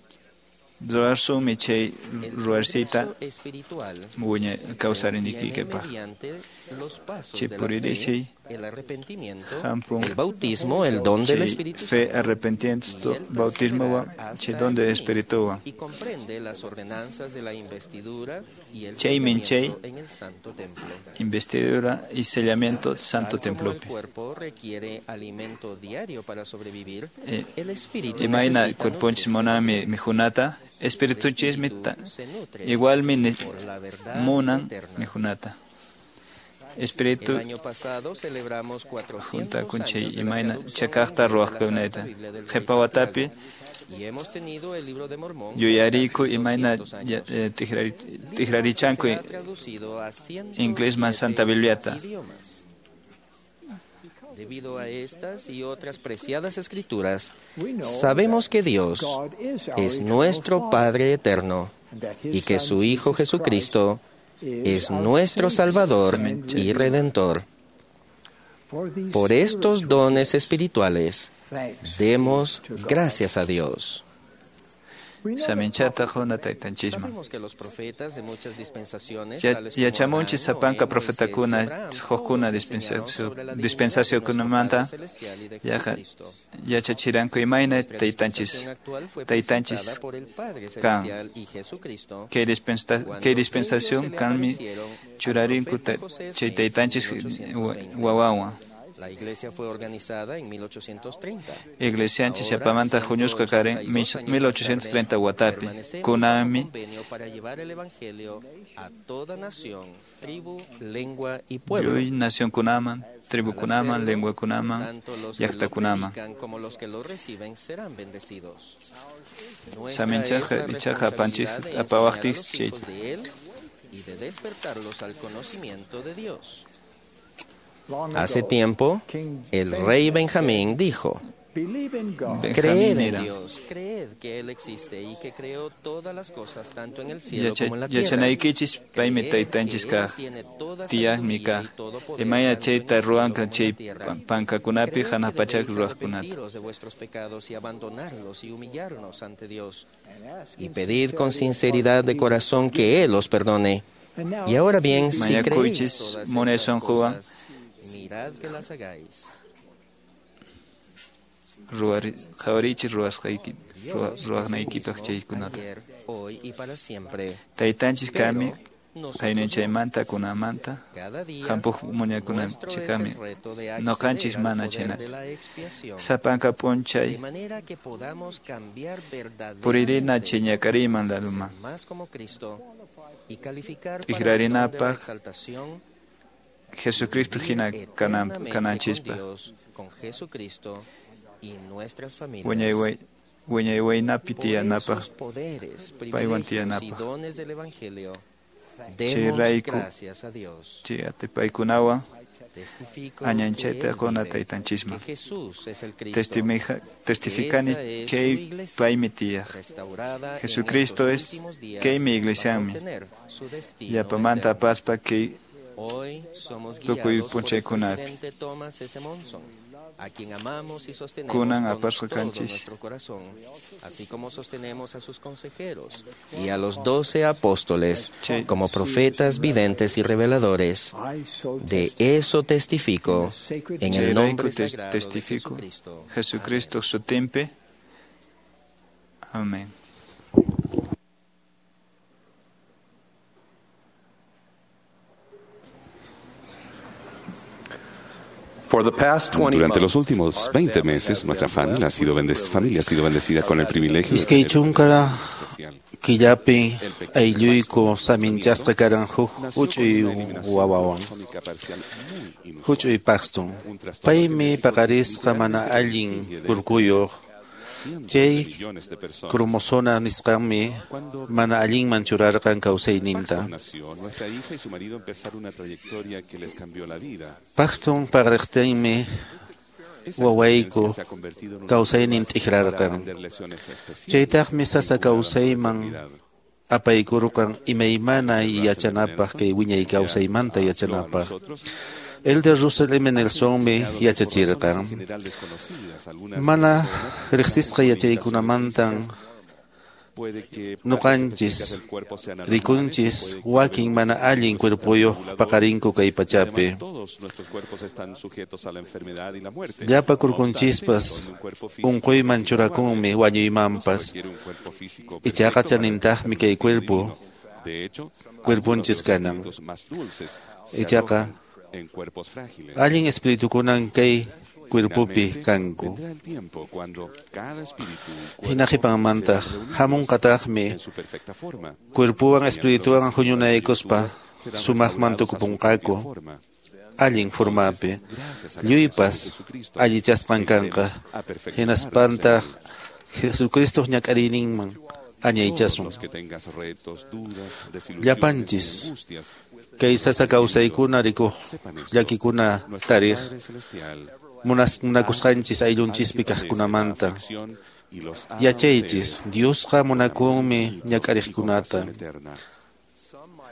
ruwasunmi chay El ruwarsita progreso espiritual wiñay se obtiene kawsariniykikipaq. mediante los pasos Chay de la fe, puririsiy el arrepentimiento, hampun el bautismo, el don del chay Espíritu fe Santo arrepentimiento y el bautismowan perseverar chay hasta don el de fin, espirituwan. y comprende las ordenanzas de la investidura y el Chaymin chay sellamiento en el Santo Templo. investidura y sellamiento santo Tal como el templopi. cuerpo requiere alimento diario para sobrevivir, el espíritu Imayna necesita cuerponchis nutrirse. munanmi mikhunata, El espiritunchismi espíritu se nutre igualmi por la verdad munan eterna. mikhunata. El Espíritu año pasado celebramos 400 juntakun chay años de la imayna traducción al chakaqta inglés de la ruwaqkunayta. Santa Biblia del Rey Qhipa watapi Santiago, y hemos tenido el libro de Mormón por yuyariku casi imayna 200 años. Libro que tikrarichanku será traducido a inglesman Santa 107 Bibliata. idiomas. Debido a estas y otras preciadas escrituras, sabemos que Dios es nuestro Padre eterno y que su Hijo Jesucristo es nuestro Salvador y Redentor. Por estos dones espirituales, demos gracias a Dios. Saminchata quna taytanchisman. Sabemos que los profetas de muchas dispensaciones, tales como Yachamunchis Abraham, sapanka Noé, profetakuna Moisés y Abraham, hukkuna todos enseñaron sobre la divinidad de nuestro dispensacionkunamanta Padre Celestial y de yaqa Jesucristo. yachachiranku imayna Nuestra taytanchis dispensación actual fue taytanchis presentada por el Padre kan. Celestial y Jesucristo Kay cuando kay ellos dispensación se le kanmi aparecieron al churarinku profeta José chay Smith en taytanchis 1820. wawawan. La iglesia fue organizada en 1830. Iglesianchis Ahora, yapamanta huñusqa karin 182 años más 1830 tarde, watapi permanecemos bajo kunanmi convenio para llevar el evangelio a toda nación, tribu, lengua y pueblo. lluy nacionkunaman, Al tribukunaman, hacerlo, lenguakunaman, tanto los que lo llaqtakunaman. predican como los que lo reciben serán bendecidos. Nuestra Saminchaqqa es la ichaqa apanchis responsabilidad de enseñar a apawaqtij los chay hijos de Él y de despertarlos al conocimiento de Dios. Hace tiempo, el rey Benjamín dijo: Creed en Dios, creed que Él existe y que creó todas las cosas tanto en el cielo como en la tierra. Yachanaykichis paymi Creed taytanchis que Él kaq, tiene toda tiyaqmi sabiduría kaq. y todo poder Imaya tanto en chayta el cielo ruwanqa como en chay la tierra. pankakunapi Creed que hanaq pachaq debéis ruwaqkunata. arrepentiros de vuestros pecados y abandonarlos y humillarnos ante Dios. Y pedid con sinceridad de corazón que Él os perdone. Y ahora bien, si creéis Mañakuychis todas munay estas sunquwan cosas, Qhawarichis ruwaqnaykipaq chaykunata. Taytanchis kami qayninchaymanta kunamanta hampuq muñakunanchikkami noqanchis mana chhaynata. Sapanka p'unchay puririna chay ñak'ariyman laduman t'ikrarinapaq Jesucristo hina kananchispaq. Wiñay waynapi tiyanapaq paywan tiyanapaq. Chayrayku chay atipaykunawan añanchayta quna taytanchisman. Testificani kay paymi tiyaq. Jesucristo es kaymi iglesianmi. Yapamanta apaspa kay tukuy p'unchaykunapi. A quien amamos y sostenemos Kunan con apasqa todo kanchis. nuestro corazón, así como sostenemos a sus consejeros y a los 12 apóstoles como profetas, videntes y reveladores. De eso testifico en el Chayrayku nombre sagrado de testifico Jesucristo. Jesucristo sutinpi. Amén. Durante los últimos 20 meses, nuestra familia ha sido bendecida con el privilegio de Iskay tener chunka killapi aylluyku saminchasqa karan huk huch'uy wawawan, huch'uy Paxton. Paymi paqarisqa mana allin kurkuyuq. Chay cromosoma nisqanmi mana allinman churarqan kawsayninta. Nació, nuestra hija y su marido empezaron una trayectoria que les cambió la vida. Paxton paqariqtinmi wawayku kawsaynin t'ikrarqan. Chaytaqmi sasa kawsayman apaykurqan imaymana yachanapaq kay wiñay kawsaymanta yachanapaq. Elder Russell M. Nelsonmi yachachirqan. Mana riqsisqa yachaykunamantan nuqanchis rikunchis wakin mana allin cuerpuyuq paqarinku kay pachapi. Todos nuestros cuerpos están sujetos a la enfermedad y la muerte. Llapa kurkunchispas unquyman churakunmi wañuymanpas. Ichaqa chanintaqmi kay cuerpo De hecho, cuerpunchis kanan. más dulces se Ichaqa alojan en cuerpos frágiles. allin espiritukunan kay cuerpopi kanku. Vendrá el tiempo cuando cada espíritu y cuerpo Hina qhipanmantaq hamunqataqmi en su perfecta forma cuerpuwan espirituwan huñunaykuspa sumaqman tukupunqaku allin formapi. Lluypas allichasqan kanqa hinaspantaq Jesucristo ñak'ariyninman añaychasun. los que tengas retos, dudas, desilusiones, Llapanchis angustias, kay sasa kawsaykuna rikuq llakikuna tariq munakusqanchis ayllunchispi kaqkunamanta. Yachaychis, Diosqa munakunmi ñak'ariqkunata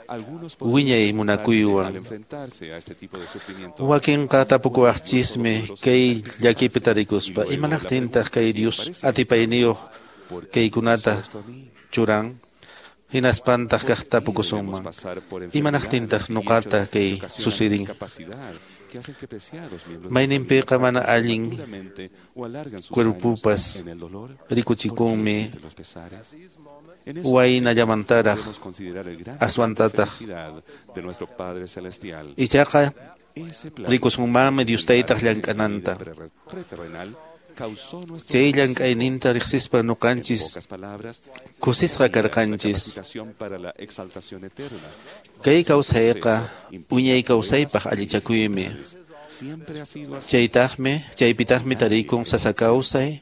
algunos wiñay munakuywan. al enfrentarse a este tipo de sufrimiento Wakinqa tapukuwaqchismi kay llakipi tarikuspa imanaqtintaq kay Dios atipayniyuq kaykunata churan hinaspantaq kaq tapukusunman imanaqtintaq nuqata kay susirin discapacidad que hacen que preciados miembros de mayninpiqa mana allin prematuramente o alargan sus cuerpupas años en el dolor rikuchikunmi de los pesares. En esos waynallamantaraq podemos considerar el gran aswantataq felicidad de nuestro Padre Celestial. ichaqa Ese plan rikusunmanmi Dios taytaq llank'ananta preterrenal causó nuestro chay llank'ayninta riqsispa nuqanchis pocas palabras kusisqa karqanchis capacitación para la exaltación eterna. kay kawsayqa wiñay kawsaypaq allichakuymi Siempre ha sido así. chaytaqmi chaypitaqmi tarikun sasa kawsay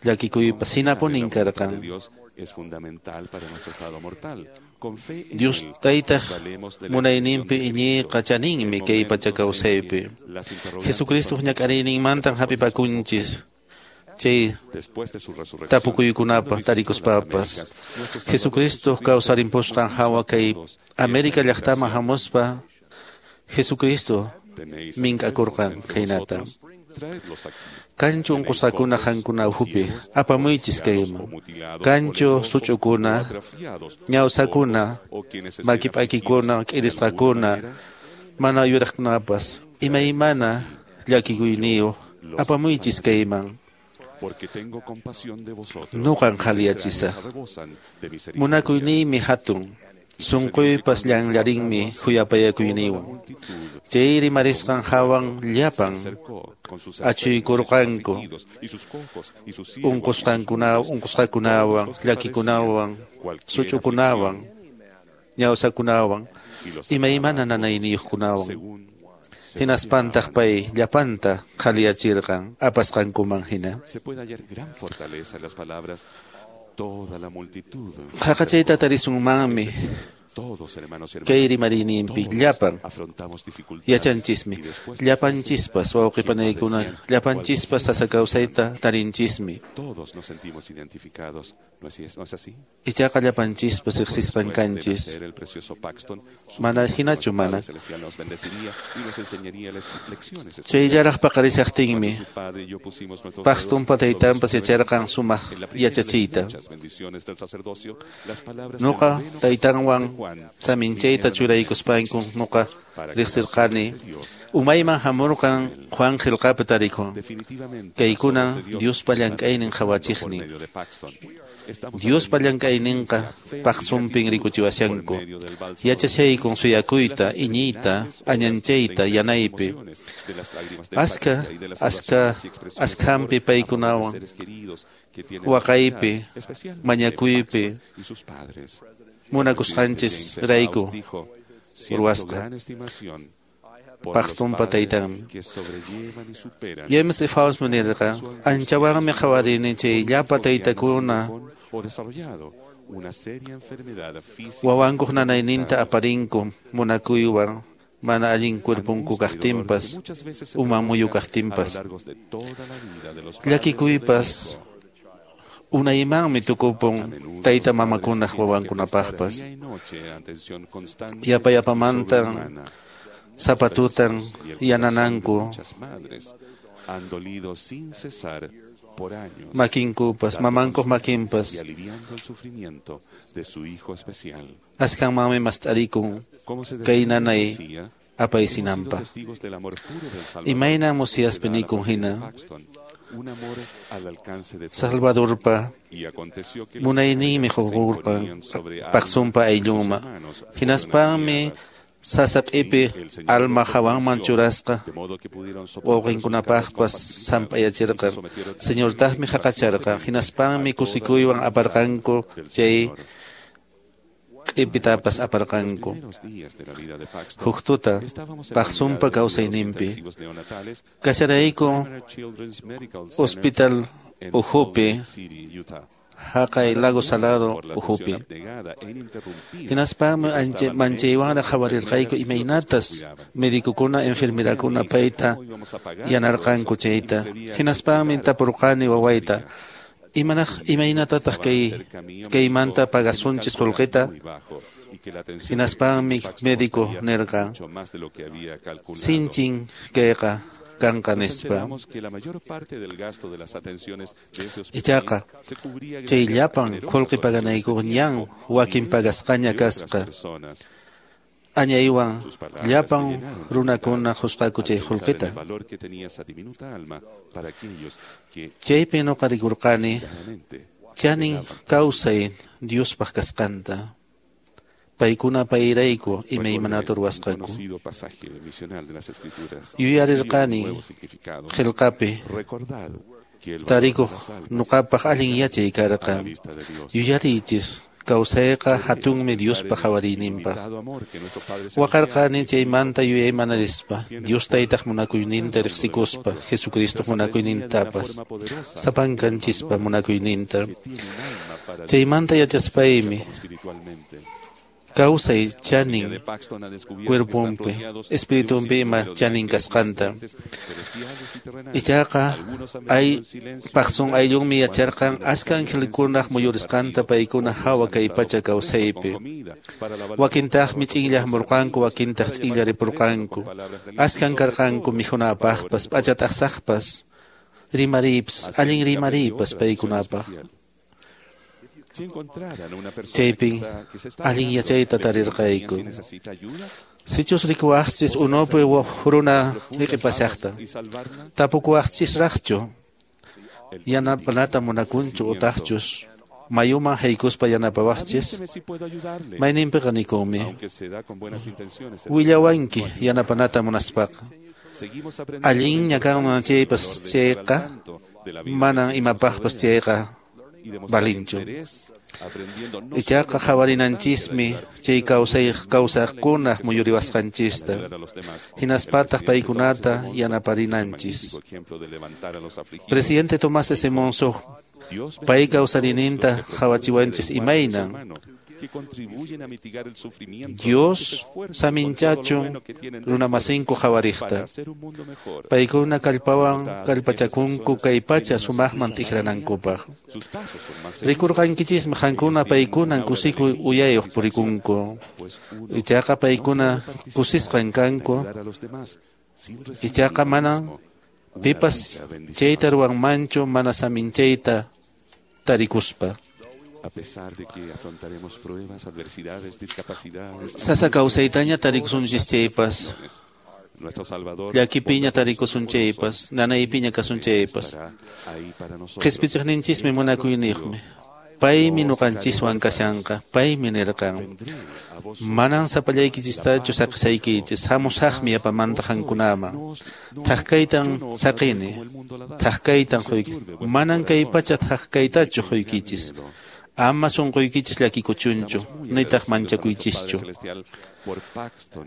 llakikuypas hinapunin karqan Dios es fundamental para nuestro estado mortal. Con fe en Dios él, taytaq valemos de la munayninpi iñiyqa chaninmi kay pacha kawsaypi Jesucristo ñak'ariyninmantan hapipakunchis chay después de su resurrección. tapukuykunapaq tarikuspapas Jesucristo kawsarimpusqan hawa kay América llaqtaman hamuspa Jesucristo Tenéis mink'akurqan khaynata Traedlos aquí. Kanchu unqusqakuna qankuna ukhupi apamuychis kayman kanchu such'ukuna ñawsakuna maki p'akikuna k'irisqakuna mana yuraqkunapas Imaymana llakikuyniyuq apamuychis kayman. Nuqan qhaliyachisaq. Munakuyniymi hatun. Sunquypas llanllarinmi khuyapayakuyniwan. Chay rimarisqan hawan llapan achuykurqanku unqusqakunawan, llakikunawan, such'ukunawan, ñawsakunawan, imaymana nanayniyuqkunawan. Hinaspantaq pay llapanta qhaliyachirqan apasqankuman hina. Haqachayta tarisunmanmi kay rimariyninpi llapan yachanchismi, llapanchispas wawqipanaykuna, llapanchispas sasa kawsayta tarinchismi. Ichaqa llapanchispas riqsisqan kanchis. Mana hinachu mana. Chayllaraq paqarishaqtinmi Paxtonpa taytanpas yacharqan sumaq yachachiyta. Nuqa taytanwan saminchayta churaykuspanku nuqa riqsirqani. Umayman hamurqan Juan qillqapi tarikun. Kaykuna Diospa llank'aynin qhawachiqnin. Diospa llank'ayninqa paqsunpin rikuchiwashanku. Yachashaykun suyakuyta, iñiyta, añanchayta, yanaypi. Askhampi paykunawan, waqaypi, mañakuypi, munakusqanchis rayku ruwasqa. Paxtonpa taytanmi. James E. Faust nirqa, anchawanmi qhawarini chay llapa taytakuna wawankuq nanayninta aparinku munakuywan mana allin cuerpunku kaqtinpas, uman muyu kaqtinpas. Llakikuypas unaymanmi tukupun tayta mamakunaq wawankunapaqpas. Yapa yapamantan zapatutan yanananku makinkupas, mamankuq makinpas. Askanmanmi mast'arikun kay nanay apaysinanpaq. Imaynan musiyaspi nikun hina Salvadorpa munayninmi huqurqan Paxtonpa ayllunman. Hinaspanmi sasap'ipi alma hawanman churasqa wawqinkunapaqpas samp'ayachirqan. Señortaqmi haqacharqan. Hinaspanmi kusikuywan aparqanku chay q'ipitapas aparqanku. Huk tuta Paxtonpa kawsayninpi kasharayku hospital ukhupi haqay Lago Salado ukhupi. Hinaspanmi manchaywanraq qhawarirqayku imaynatas medicokuna enfermerakuna payta yanarqanku chayta. Hinaspanmi tapurqani wawayta, imaynatataq kaymanta pagasunchis qullqita? Hinaspanmi médico nirqan, sinchin kayqa kanqa nispa. Ichaqa chay llapan qullqi paganaykuq ñan wakin pagasqaña kasqa. Añaywan llapan runakuna qusqaku chay qullqita. Chaypi nuqa rikurqani chanin kawsay Diospaq kasqanta. Paykuna payrayku imaymanata ruwasqanku. Yuyarirqani qillqapi tarikuq nuqapaq allin yachay karqan. Yuyariychis kawsayqa hatunmi Diospa qhawariyninpaq. Waqarqani chaymanta yuyaymanarispa, Dios taytaq munakuyninta riqsikuspa, Jesucristo munakuynintapas, sapankanchispa munakuyninta. Chaymanta yachaspaymi kawsay chanin cuerponpi, espiritunpi ima chanin kasqanta. Ichaqa ay Paxton ayllunmi yacharqan achka angelkunaq muyurisqanta paykuna hawa kay pacha kawsaypi. Wakintaqmi ch'inllaqmurqanku, wakintaq ch'inllaripurqanku. Achkan karqanku mikhunapaqpas, p'achataqsaqpas, rimariypas, allin rimariypas paykunapaq. Chaypin allin yachayta tarirqayku. Sichus rikuwaqchis unupi runa hiq'ipashaqta, tapukuwaqchisraqchu yanapanata munakunchu utaqchus mayuman haykuspa yanapawaqchis? Mayninpiqa nikunmi, willawanki yanapanata munaspaqa. Allinña kanman chaypas chayqa, manan imapaqpas chayqa valinchu. Ichaqa qhawarinanchismi chay kawsaqkunaq muyuriwasqanchista, hinaspataq paykunata yanaparinanchis. Presidente Tomás S. Monson pay kawsarininta qhawachiwanchis imaynan Dios saminchachun runamasinku qhawariqta. Paykuna kallpawan kallpachakunku kay pacha sumaqman tikranankupaq. Rikurqankichismi qankuna paykunan kusikuy uyayuq purikunku. Ichaqa paykuna kusisqan kanku. Ichaqa mana pipas chayta ruwanmanchu mana saminchayta tarikuspa. A pesar de que afrontaremos pruebas, adversidades, discapacidades, Sasa kawsaytaña tarikusunchis chaypas, llakipiña tarikusun chaypas, nanaypiña kasun chaypas, qhispichiqninchismi munakuyniyuqmi. Paymi ñuqanchiswan kashanqa, paymi nirqan. Manan sapallaykichistachu saqisaykichis, hamusaqmi yapamanta qankunaman. Thaqkaytan saqini, thaqkaytan quykichis. Manan kay pacha thaqkaytachu quykichis. Ama sunquykichis llakikuchunchu, nitaq manchakuychischu.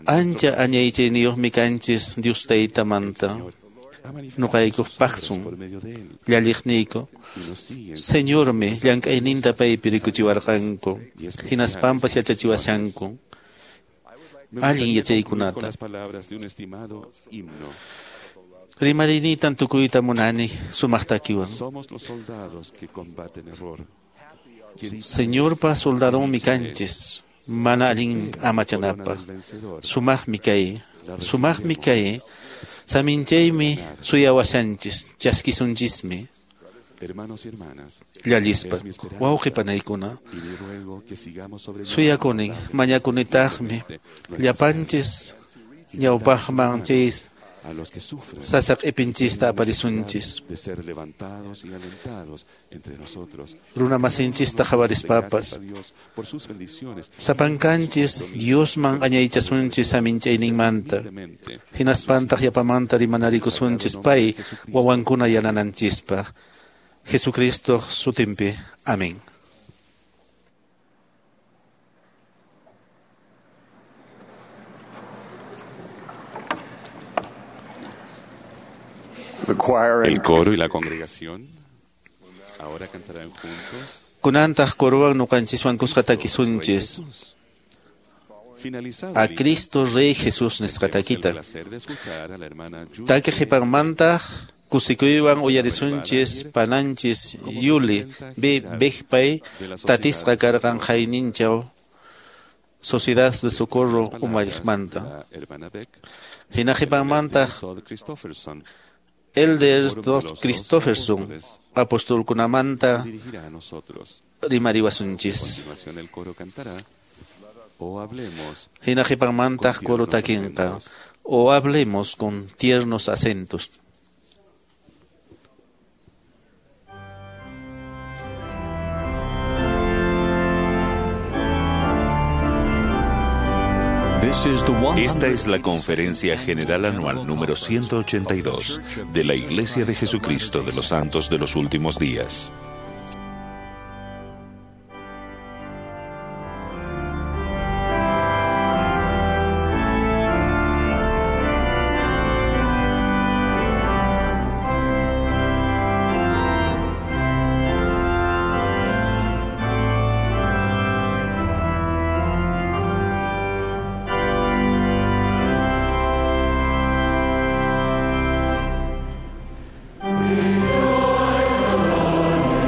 Ancha añaychayniyuqmi kanchis Dios Taytamanta. Ñuqaykuq paqsun, llalliqniyku. Señormi llank'ayninta paypi rikuchiwarqanku, hinaspampas yachachiwashanku allin yachaykunata. Rimariynitan tukuyta munani sumaq takiwan. Señorpa soldadonmi kanchis, mana allin amachanapaq. Sumaqmi kay, sumaqmi kay. Saminchaymi suyawashanchis, chaskisunchismi. Llallispa, wawqi panaykuna, suyakunin, mañakunitaqmi, llapanchis ñawpaqman chay sasaq ipinchista aparisunchis. Runamasinchista qhawarispapas, sapankanchis Diosman añaychasunchis saminchayninmanta, hinaspantaq yapamanta rimanarikusunchis pay wawankuna yanananchispaq. Jesucristo sutinpi. Amén. El coro y la congregación ahora cantarán juntos. Kunantaq corowan ñuqanchiswan kuska takisunchis. A Cristo Rey Jesús nisqa takita. Taki qhipanmantaq kusikuywan uyarisunchis pananchis Yuli B. Bejpay tatisqa karqan hayninchaw Sociedad de Socorro umalliqmanta. Hina qhipanmantaq Elder Dr. Christopherson apostolkunamanta rimariwasunchis. Hina qhipanmantaq coro takinqa o hablemos con tiernos acentos. Esta es la Conferencia General Anual número 182 de la Iglesia de Jesucristo de los Santos de los Últimos Días. Rejoice, O Lord.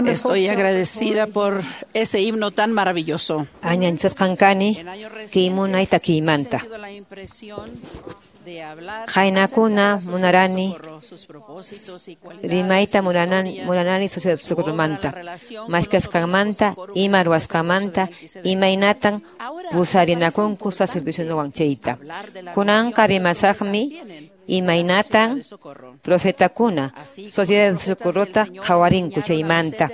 Estoy agradecida por ese himno tan maravilloso. Añanchasqankani kaymunay takiymanta. Qaynakuna munarani rimayta munanani sociedad socorromanta, maskasqanmanta, ima ruwasqanmanta, imaynatan pusarinakunku sacerdocionwan chayta. Kunanqa rimasaqmi imaynatan profetakuna sociedad de socorrota qhawarinku chaymanta.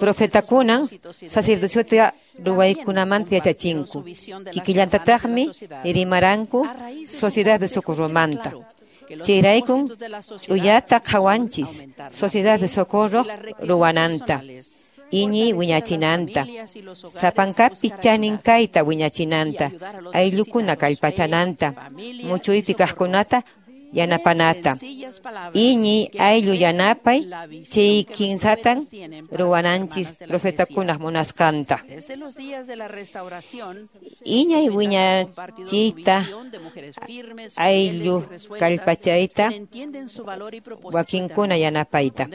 Profetakunan sacerdociota ruwaykunamanta yachachinku. Kikillantataqmi rimaranku sociedad de socorromanta. Chayraykun ch'uyata qhawanchis sociedad de socorro ruwananta. Iñiy wiñachinanta, sapankapi chanin kayta wiñachinanta, ayllukuna kallpachananta, muchuypi kaqkunata yanapanata. Iñiy ayllu yanapay chay kinsatan ruwananchis profetakunaq munasqanta. Iñay wiñachiyta ayllu kallpachayta wakinkuna yanapayta.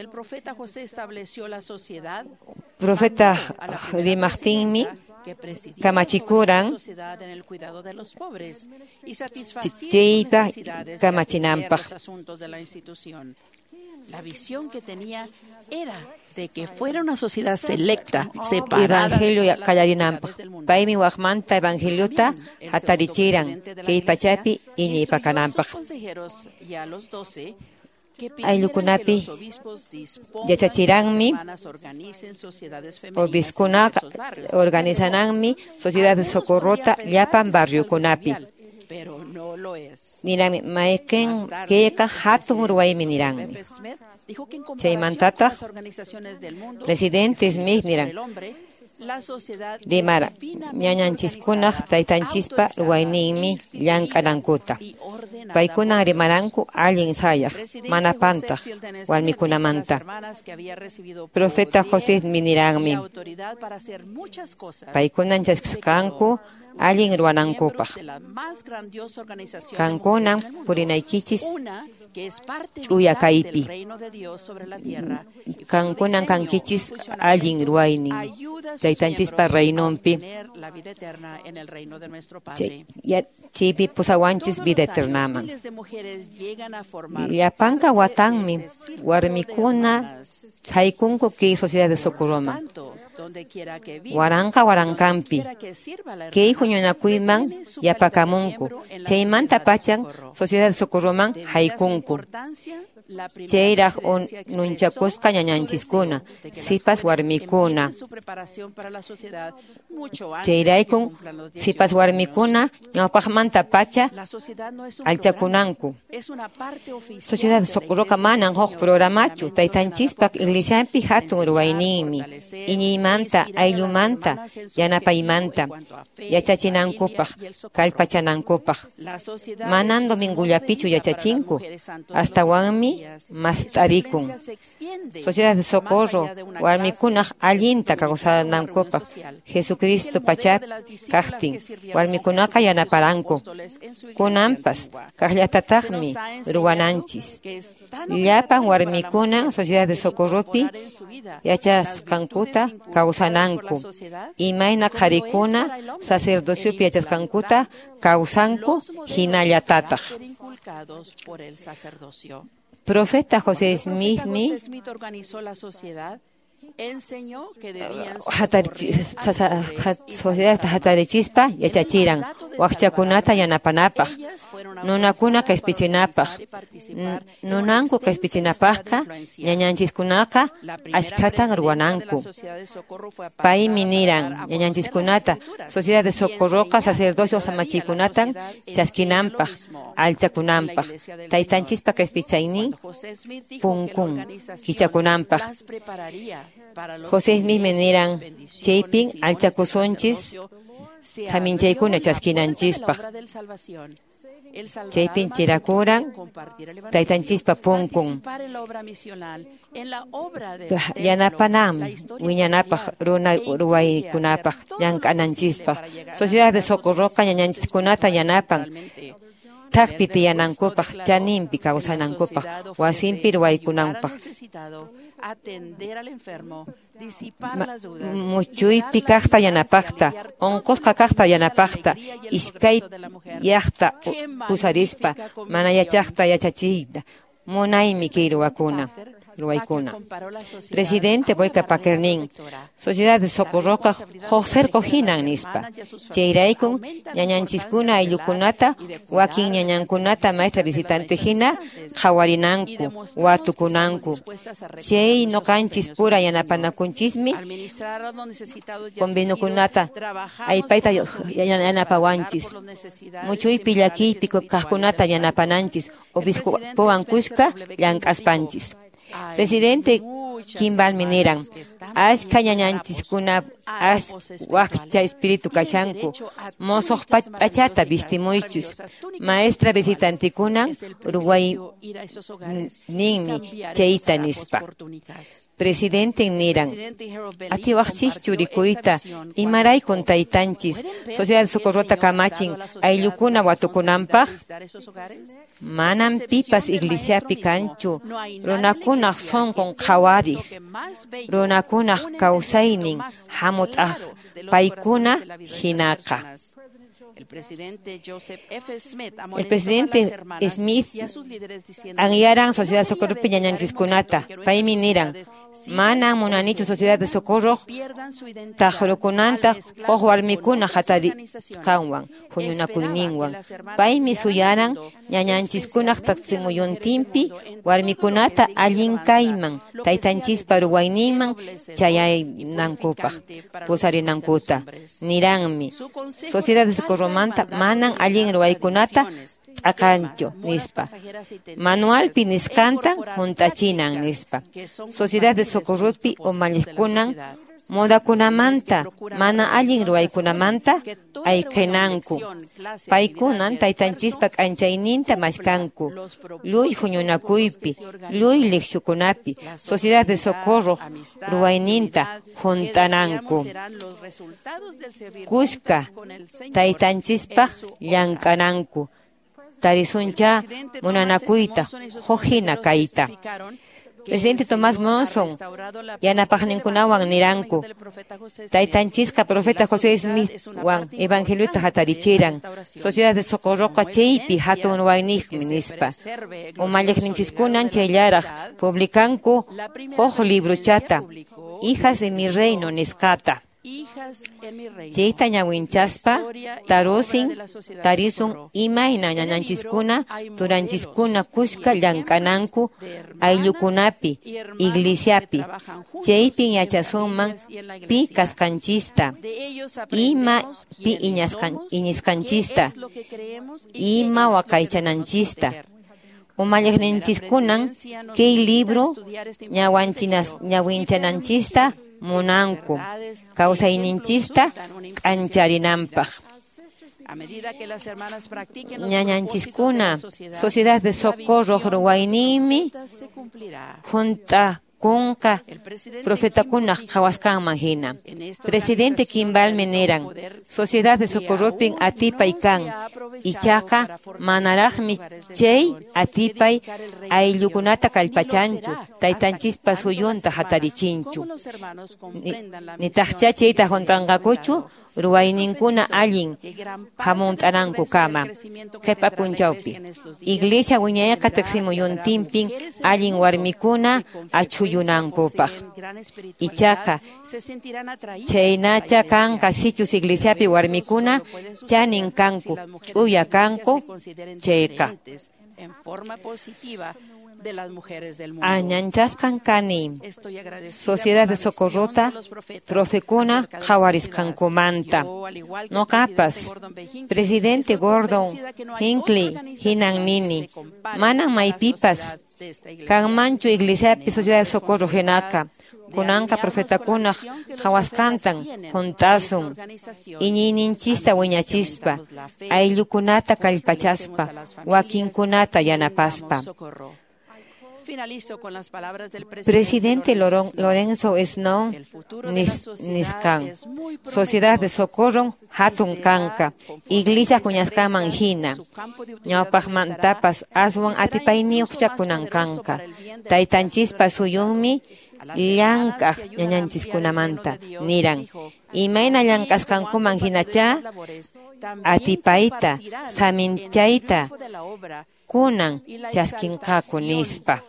Profeta rimaqtinmi kamachikuran chayta kamachinanpaq. La visión que tenía era de que fuera una sociedad selecta, separada. Evangelio qallarinanpaq. Paymi waqmanta evangeliota hatarichiran kay pachapi iñiypakananpaq. Ayllukunapi yachachiranmi obiskunaqa organizananmi sociedad de socorrota llapan barriokunapi. Niranmi mayqin kayqa hatun ruwaymi niranmi. Chaymantataq presidente Smith niran rimara ñañanchiskunaq taytanchispa ruwayninmi llank'anankuta. Paykunan rimaranku allin sayaq mana pantaq warmikunamanta. Profeta José Smith niranmi paykunan chaskisqanku allin ruwanankupaq. Qankunan purinaykichis ch'uya kaypi. Qankunan kankichis allin ruwaynin taytanchispa reinonpi. Chaypi pusawanchis vida eternaman. Llapanqa watanmi warmikuna chaykunku kay sociedad de socorroman. Waranqa waranqanpi kay huñunakuyman yapakamunku. Chaymanta pachan sociedad de socorroman haykunku. Chayraq nunchakusqa ñañanchiskuna, sipas warmikuna. Chayraykun sipas warmikuna ñawpaqmanta pacha allchakunanku. Sociedad de socorroqa manan huk programachu taytanchispa iglesianpi hatun ruwayninmi. Iñiymanta, ayllumanta, yanapaymanta, yachachinankupaq, kallpachanankupaq. Manan domingullapichu yachachinku, astawanmi mast'arikun. Sociedad de socorro warmikunaq allinta kawsanankupaq Jesucristo pachapi kaqtin warmikunaqa yanaparanku. Kunanpas kaqllatataqmi ruwananchis. Llapan warmikuna sociedad de socorropi yachasqankuta kawsananku. Imayna qharikuna sacerdociopi yachasqankuta kawsanku hinallatataq. Profeta José Smithmi sociedad hatarichispa yachachiran waqchakunata yanapanapaq, nunakuna qispichinapaq. Nunanku qispichinapaqqa ñañanchiskunaqa achkhatan ruwananku. Paymi niran ñañanchiskunata sociedad de socorroqa sacerdocio samachikunatan chaskinanpaq, allchakunanpaq, taytanchispa qispichaynin punkun kichakunanpaq. José Smith niran chaypin allchakusunchis saminchaykuna chaskinanchispaq. Chaypin chirakuran taytanchispa punkun. Yanapanam wiñanapaq runa ruwaykunapaq llank'ananchispaq. Sociedad de socorroqa ñañanchiskunata yanapan. Thakpi tiyanankupaq, chaninpi kawsanankupaq, wasinpi ruwaykunankupaq. Muchuypi kaqta yanapaqta, unqusqa kaqta yanapaqta, iskayyaqta pusarispa, mana yachaqta yachachiyta. Munaymi kay ruwaykuna. Presidente Boyka Packer nin, Sociedad de Socorroqa huk cerco hinan nispa. Chayraykun ñañanchiskuna ayllukunata, wakin ñañankunata maestra visitante hina qhawarinanku, watukunanku. Chay ñuqanchis pura yanapanakunchismi conveniokunata aypayta yanapawanchis. Muchuypi llakiypi kaqkunata yanapananchis, obispowan kuska llank'aspanchis. Presidente Kimballmi niran, ashka ñañanchiskuna wakcha espíritu kashanku, mosoq p'achata vistimuychus, maestra visitantikunan ruwayninmi chayta nispa. Presidenten niran, atiwaqchischu rikuyta, imaraykun taytanchis, Sociedad de Socorrota kamachin ayllukuna watukunanpaq? Manam pipas iglesiapi kanchu, runakunaq sunqun qhawariq, runakunaq kawsaynin hamut'aq paykuna hinaqa. El presidente Joseph F. Smith El presidente Smith anyaran Sociedad de Socorro ñañanchiskunata, paymi niran, manan munanichu Sociedad de Socorro taqrukunanta huk warmikuna hatarisqanwan, huñunakuyninwan. Paymi suyaran ñañanchiskunaq taqsimuyuntinpi warmikunata allin kayman, taytanchispa ruwayninman chayanankupaq, pusarinankuta. Niranmi, Sociedad de Socorro manta manan allin ruwaykunata t'aqanchu nispa. Manualpi nisqanta hunt'achinan nispa. Sociedad de Socorropi umalliqkunan modakunamanta, mana allin ruwaykunamanta ayqinanku. Paykunan taytanchispa k'anchayninta mashkanku. Lluy huñunakuypi, lluy liqshukunapi, Sociedad de Socorro ruwayninta hunt'ananku. Kuska taytanchispaq llank'ananku. Tarisuncha munanakuyta, huk hina kayta. Presidente Tomás Monson yanapaqninkunawan niranku, taytanchisqa profeta José Smithwan evangeliota hatarichiran, Sociedad de Socorroqa chaypi hatun ruwayniqmi nispa. Umalliqninchiskunan chayllaraq publicanku huk librochata, Hijas de mi Reino nisqata. Chayta ñawinchaspa tarisun imayna ñañanchiskuna turanchiskuna kuska llank'ananku ayllukunapi, iglesiapi. Chaypin yachasunman pi kasqanchista, ima pi iñisqanchista, ima waqaychananchista. Umalliqninchiskunan kay libro ñawinchananchista munanku, kawsayninchista k'ancharinanpaq. Ñañanchiskuna Sociedad de Socorro ruwayninmi hunt'akunqa profetakunaq qhawasqanman hina. Presidente Kimballmi niran, Sociedad de Socorropin atipay kan, ichaqa manaraqmi chay atipay ayllukunata kallpachanchu, taytanchispa suyunta hatarichinchu. Nitaqcha chayta hunt'anqakuchu ruwayninkuna allin hamunt'anankukama. Qhipa p'unchawpi, Iglesia wiñayqa tiqsimuyuntinpin allin warmikuna achhuyunankupaq. Ichaqa chaynacha kanqa sichus iglesiapi warmikuna chanin kanku, ch'uya kanku chayqa. Añanchasqan kani Sociedad de Socorrota profekuna qhawarisqankumanta. Noqapas Presidente Gordon Hinckley hinan nini, manan maypipas kanmanchu iglesiapi Sociedad de Socorro hinaqa. Kunanqa profetakunaq qhawasqantan hunt'asun, iñiyninchista wiñachispa, ayllukunata kallpachaspa, wakinkunata yanapaspa. Presidente Lorenzo Snow niskan. Sociedad de Socorro hatun kanka. Iglesia huñasqaman hina. Ñawpaqmantapas aswan atipayniyuqcha kunan kanka. Taytanchispa suyunmi llank'aq ñañanchiskunamanta niran. Imayna llank'asqankuman hinacha atipayta saminchayta kunan chaskinqaku nispa.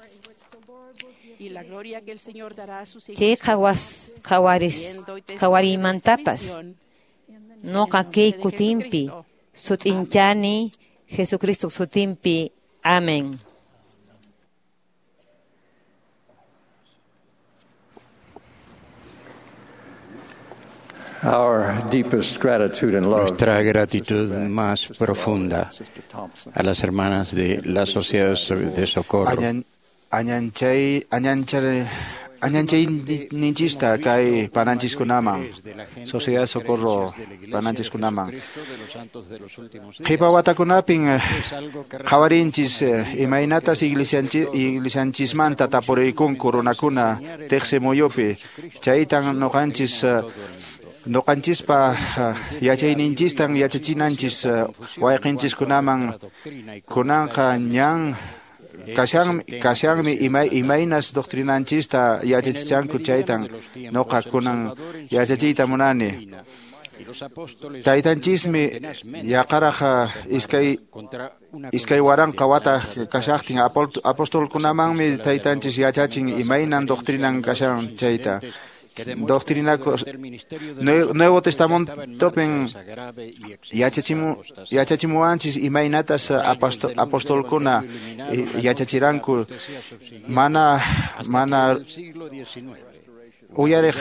Chay qhawariymantapas noqa kay kutinpi sut'inchani Jesucristo sutinpi. Amén. Nuestra gratitud más profunda a las hermanas de la Sociedad de Socorro. Añanchayninchista kay pananchiskunaman, Sociedad de Socorro pananchiskunaman. Qhipa watakunapin qhawarinchis imaynatas iglesianchismanta tapuriykunku runakuna tiqsi muyupi. Chaytan nuqanchis nuqanchispa yachayninchistan yachachinanchis wayqinchiskunaman kunanqa ñan kashanmi imaynas doctrinanchista yachachichanku chaytan noqa kunan yachachiyta munani. Taytanchismi yaqaraq iskay waranqa wata kashaqtin apostolkunamanmi taytanchis yachachin imaynan doctrinan kashan chayta. Doctrina Nuevo Testamentopin yachachimuwanchis imaynatas apostolkuna yachachiranku mana uyariq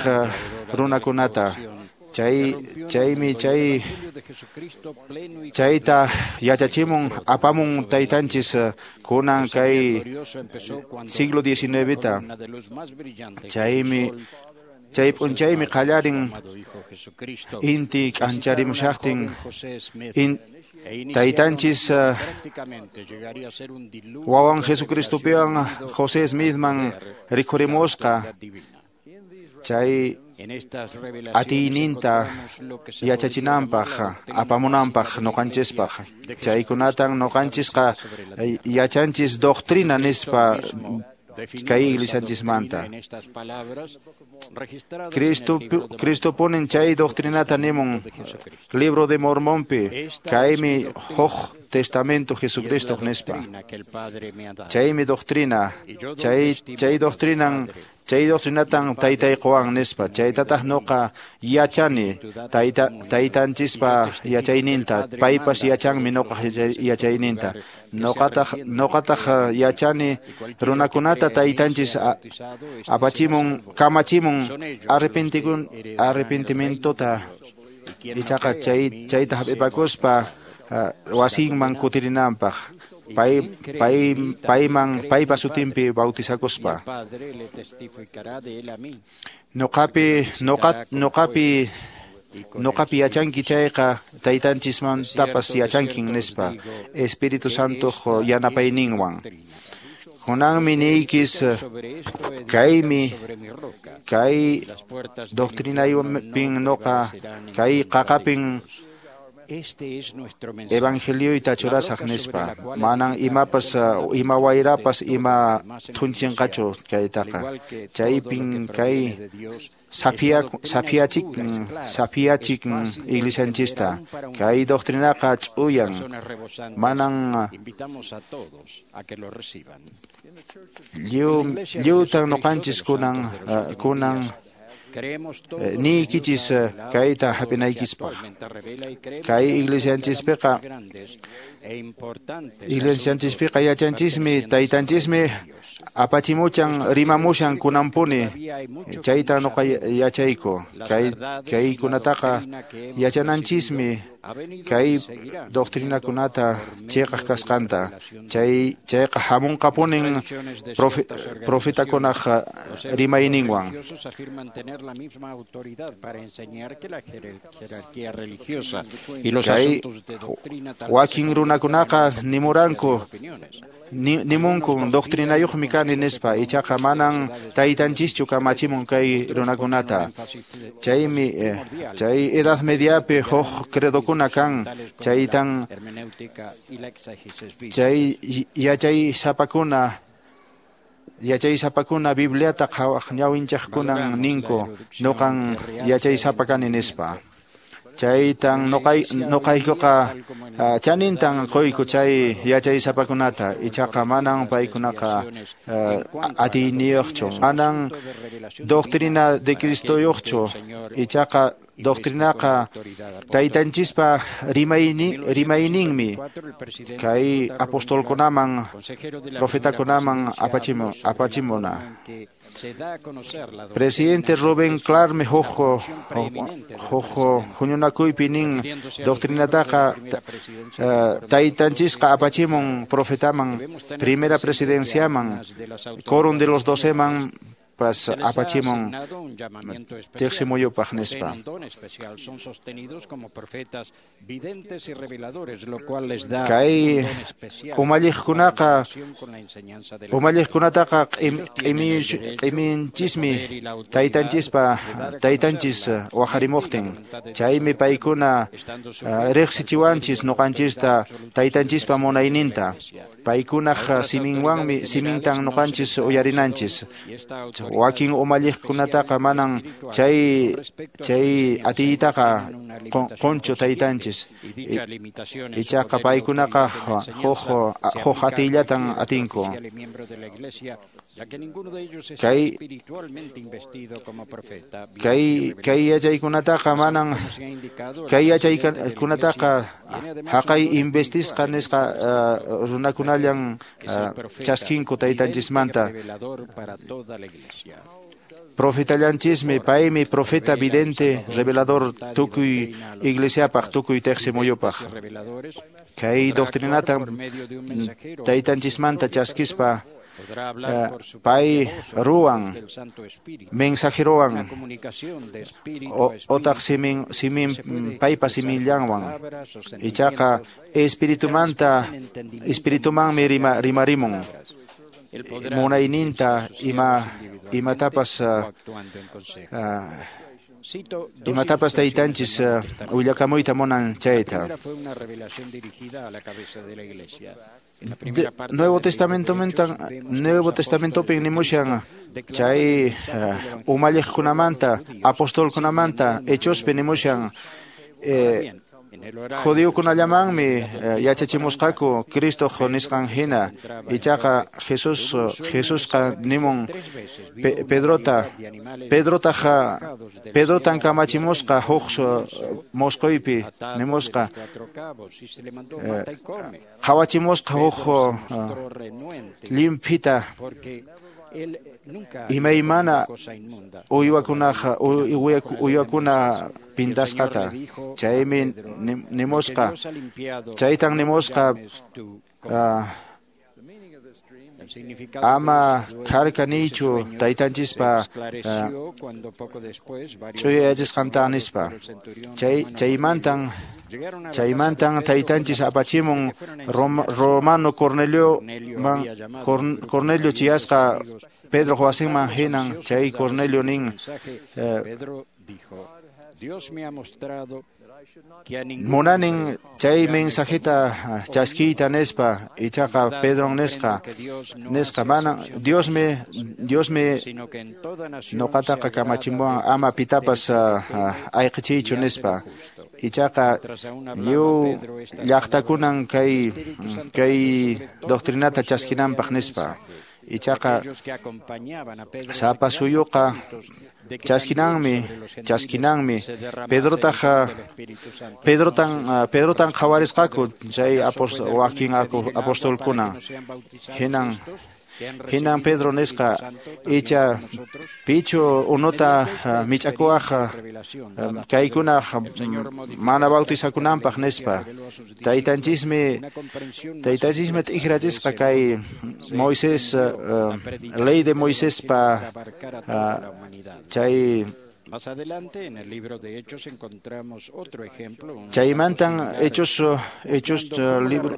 runakunata. Chaymi chayta yachachimun apamun taytanchis kunan kay siglo XIX ta. Chaymi chay p'unchaymi qallarin inti k'ancharimushaqtin taytanchis wawan Jesucristopiwan José Smithman rikhurimusqa chay atiyninta yachachinanpaq apamunanpaq nuqanchispaq. Chaykunatan nuqanchisqa yachanchis doctrina nispa kay iglesianchismanta. Cristo ponen chay doctrinata nimun libro de Mormonpi kaymi huk testamento Jesucristo nispa. Chaymi doctrina, chay doctrinan chay doctrinatan taytayquwan nispa. Chaytataq nuqa yachani taytanchispa yachayninta, paypas yachanmi nuqa yachayninta. Nuqataq yachani runakunata taytanchis apachimun kamachimun arrepentimientota ichaqa chayta hap'ipakuspa wasinman kutirinanpaq payman paypa sutinpi bautizakuspa. Nuqapi yachanki chayqa taytanchismantapas yachankin nispa Espíritu Santo yanapayninwan. Kunanmi niykis kaymi kay doctrinaypin nuqa kay qaqapin evangelioyta churasaq nispa. Manan imapas ima wayrapas ima thunchinqachu kaytaqa. Chaypin kay saphiachikin iglesianchista. Kay doctrinaqa ch'uyan manan lliwtan nuqanchis kunan niykichis kayta hap'inaykispaq. Kay iglesianchispiqa yachanchismi taytanchismi apachimuchan rimamushan kunanpuni chayta nuqa yachayku. Kaykunataqa yachananchismi. Kay doctrinakunata cheqaq kasqanta chay chayqa hamunqapunin profetakunaq rimayninwan. Kay wakin runakunaqa nimuranku nimunkun doctrinayuqmi kani nispa, ichaqa manan taytanchischu kamachimun kay runakunata. Chaymi chay Edad Mediapi huk credokuna kan, chaytan chay yachaysapakuna Bibliata qhawaq ñawinchaqkunan ninku nuqan yachaysapa kani nispa. Chaytan nuqaykuqa chanintan quyku chay yachaysapakunata, ichaqa manan paykunaqa atiyniyuqchu, manan doctrina de Cristoyuqchu, ichaqa doctrinaqa taytanchispa rimayninmi kay apostolkunaman profetakunaman apachimuna. Presidente Rubén Clarme huk huñunakuypi nin doctrinataqa taytanchisqa apachimun profetaman, primera presidenciaman, quórum de los doceman pas apachimun teqsimuyupaq nispa. Kay umalliqkunataqa q'iminchismi taytanchispa taytanchis waqarimuqtin, chaymi paykuna riqsichiwanchis nuqanchista taytanchispa munayninta, paykunaq siminwanmi simintan nuqanchis uyarinanchis. Wakin umalliqkunataqa manan chay atiytaqa qunchu taytanchis, ichaqa paykunaqa huk atiyllatan atinku. Kay yachaykunataqa manan kay yachaykunataqa haqay investisqa nisqa runakunallan chaskinku taytanchismanta. Profetallanchismi, paymi profeta vidente, revelador tukuy iglesiapaq, tukuy teqsimuyupaq. Kay doctrinata taytanchismanta chaskispa pay ruwan, mensajerowan, otaq simin paypa simillanwan, ichaqa espiritumanmi rimarimun. Munayninta imatapas taytanchis willakamuyta munan chayta. Nuevo Testamentopin nimushan chay umalliqkunamanta, apostolkunamanta, Hechospi nimushan judiokunallamanmi yachachimusqaku Cristoq nisqan hina, ichaqa Jesusqa nimun Pedrotan kamachimusqa huk mosqoypi nimusqa, qhawachimusqa huk llimphita imaymana uywakuna pintasqata, chaymi nimusqa, chaytan nimusqa ama kharkaniychu taytanchispa ch'uyayachisqanta nispa. Chaymantan taytanchis apachimun Romano Cornelio chiyasqa Pedro wasinman hinan, chay Cornelio nin munanin chay mensajeta chaskiyta nispa, ichaqa Pedron nisqa mana Diosmi nuqataqa kamachimuwan ama pitapas ayqichiychu nispa, ichaqa lliw llaqtakunan kay doctrinata chaskinanpaq nispa. Ichaqa sapa suyuqa chaskinanmi Pedrotan qhawarisqaku chay wakin apostolkuna hinan. Hinan Pedro nisqa icha pichu unuta mich'akuwaq kaykuna mana bautizakunanpaq nispa. Taytanchismi t'ikrachisqa kay Moisés ley de Moisespa chay. Más adelante en el libro de Hechos encontramos otro ejemplo. Chaymantan Hechos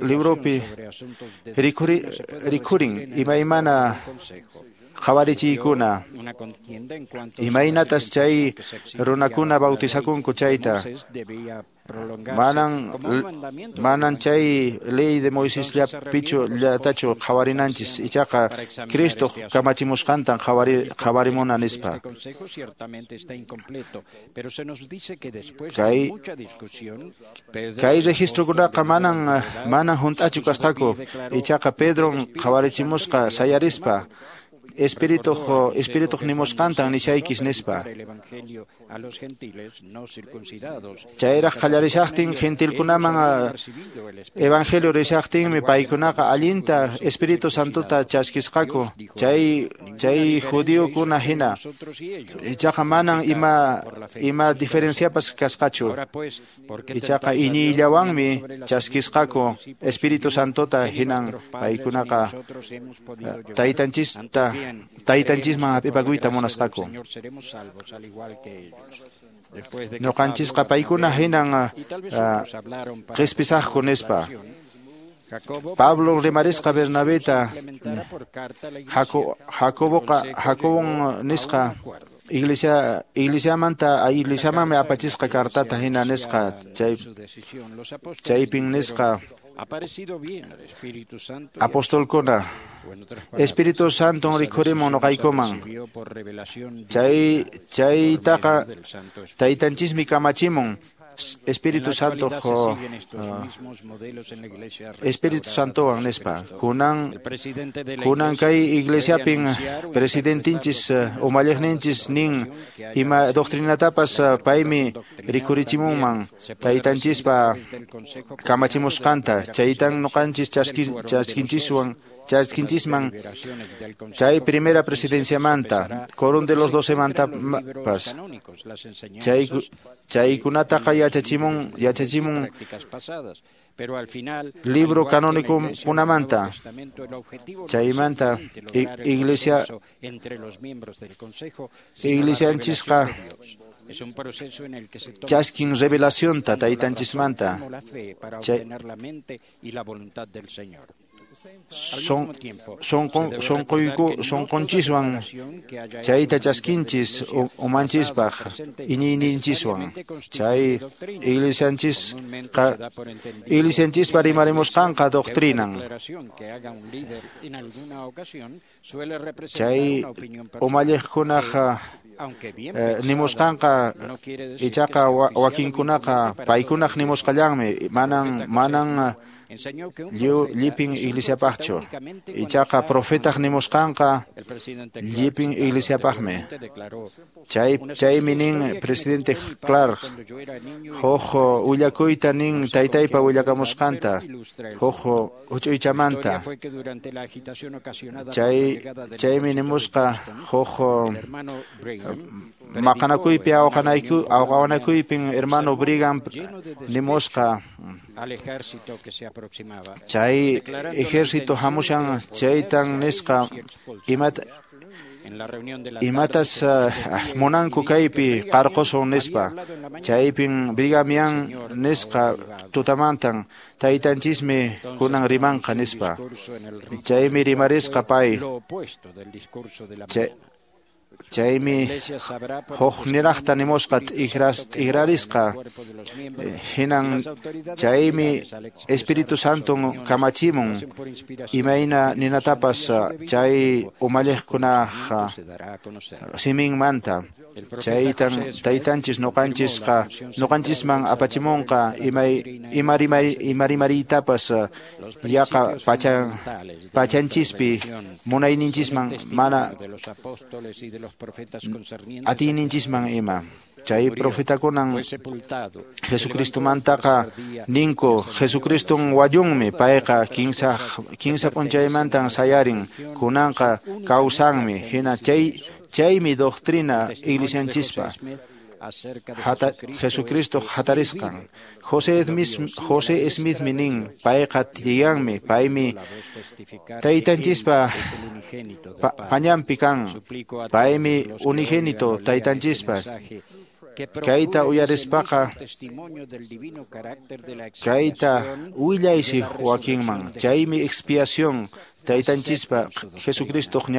libropi rikurin imaymana qhawarichiykuna imaynatas chay runakuna bautizakunku chayta. Manan chay ley de Moisés llapichu llatachu qhawarinanchis ichaqa Cristo kamachimusqantan qhawarimuna nispa. Kay registrokunaqa manan hunt'achu kasqaku ichaqa Pedron qhawarichimusqa sayarispa Espírituq nimusqantan nishaykis nispa. Chayraq qallarishaqtin gentilkunaman evangelio rishaqtinmi paykunaqa allinta Espíritu Santota chaskisqaku chay judiokuna hina. Ichaqa manan ima diferenciapas kasqachu. Ichaqa iñiyllawanmi chaskisqaku Espíritu Santota hinan paykunaqa taytanchista taytanchisman hap'ipakuyta munasqaku. Ñuqanchisqa paykuna hinan qhispisaqku nispa. Pablo rimarisqa Bernabeta Jacobon nisqa iglesiamanmi apachisqa cartata hina nisqa chaypin nisqa apostolkuna Espíritu Santo rikhurimun noqaykuman chaytaqa taytanchismi kamachimun Espíritu Santo Espíritu Santowan nispa. Kunan kay iglesiapin presidentinchis umalliqninchis nin ima doctrinatapas paymi rikurichimunman taytanchispa kamachimusqanta chaytan noqanchis chaskinchisman chay primera presidenciamanta quórum de los 12 mantapas chaykunataqa yachachimun libro canónico kunamanta chaymanta iglesia iglesianchisqa chaskin revelacionta taytanchismanta Sonqonchiswan chayta chaskinchis umanchispaq iñiyninchiswan chay iglesianchispa rimarimusqanqa doctrinan chay umalliqkunaqa nimusqanqa ichaqa wakinkunaqa paykunaq nimusqallanmi manan llipin iglesiapaqchu ichaqa profetaq nimusqanqa llipin iglesiapaqmi chaymi nin presidente Clark huk willakuyta nin taytaypa willakamusqanta huk huch'uychamanta chaymi nimusqa huk maqanakuypi awqawanakuypin hermano Brigham nimusqa chay ejército hamushan chaytan nisqa imatas munanku kaypi qarqusun nispa chaypin Brighamian nisqa tutamantan taytanchismi kunan rimanqa nispa chaymi rimarisqa pay chaymi huk niraqta nimusqa t'ikrarisqa hinan chaymi Espíritu Santon kamachimun imayna ninatapas chay umalliqkunaqa siminmanta. Chaytan taytanchis noqanchisqa noqanchisman apachimunqa imarimariytapas yaqa pachanchispi munayninchisman mana atiyninchisman ima. Chay profetakunan Jesucristomantaqa ninku Jesucriston wayunmi payqa kinsa p'unchaymantan sayarin kunanqa kawsanmi hina chaymi doctrina iglesianchispa Jesucristo hatarisqan. José Smithmi nin payqa tiyanmi paymi taytanchispa pañanpi kan paymi unigénito taytanchispa. Kayta uyarispaqa kayta willaysi wakinman chaymi expiación taytanchispa Jesucristoq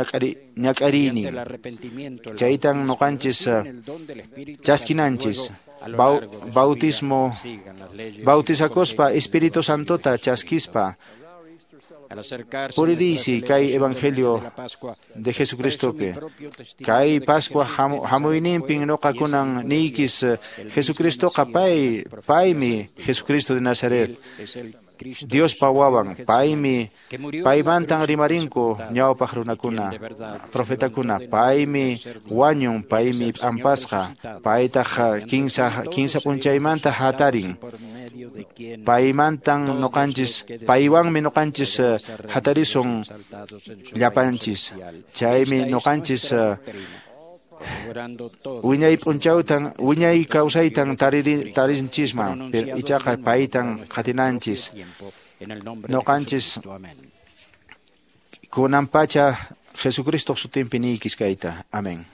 ñak'ariynin chaytan noqanchis chaskinanchis bautismo bautizakuspa Espíritu Santota chaskispa puririysi kay evangelio de Jesucristopi kay Pascua hamuyninpin noqakunan niykis Jesucristoqa paymi Jesucristo de Nazaret Diospa wawan paymi paymantan rimarinku ñawpaq runakuna profetakuna paymi wañun paymi p'ampasqa paytaq kinsa p'unchaymanta hatarin paymantan noqanchis paywanmi noqanchis hatarisun llapanchis chaymi noqanchis wiñay p'unchawtan wiñay kawsaytan tarinchisman ichaqa paytan qatinanchis noqanchis kunan pacha Jesucristoq sutinpi niykis kayta. Amén.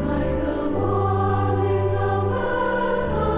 Like the mornings of birds.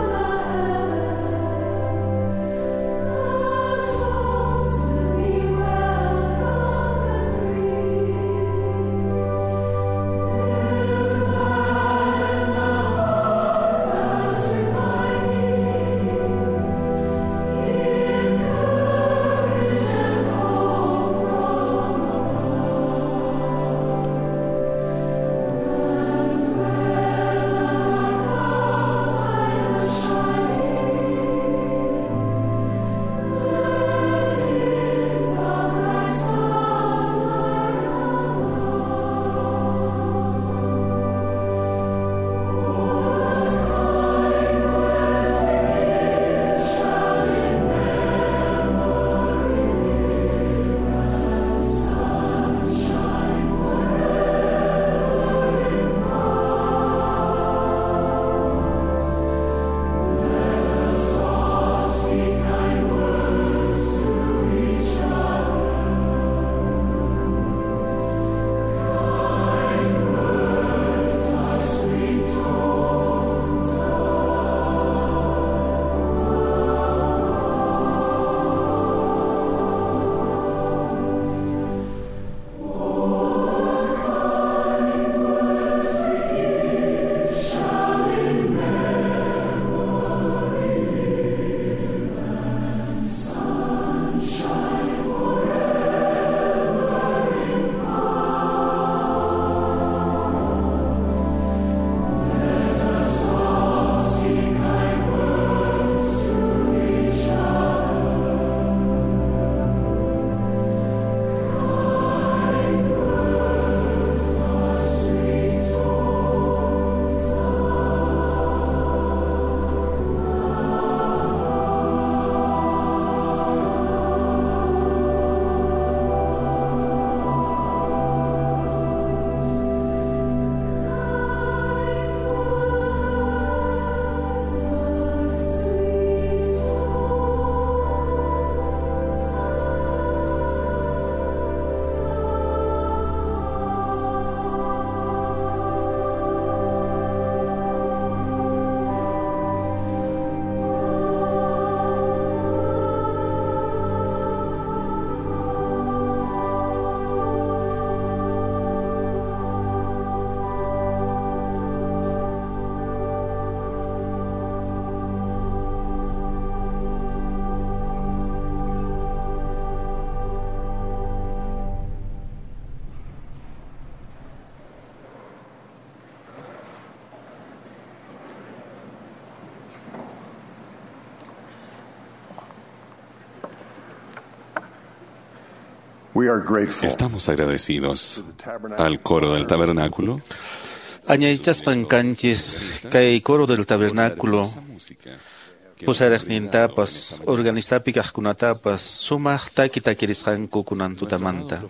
Estamos agradecidos al coro del tabernáculo. Añaychasqan kanchis kay coro del tabernáculo pusariqnintapas organistapi kaqkunatapas sumaq taki takirisqanku kunan tutamanta.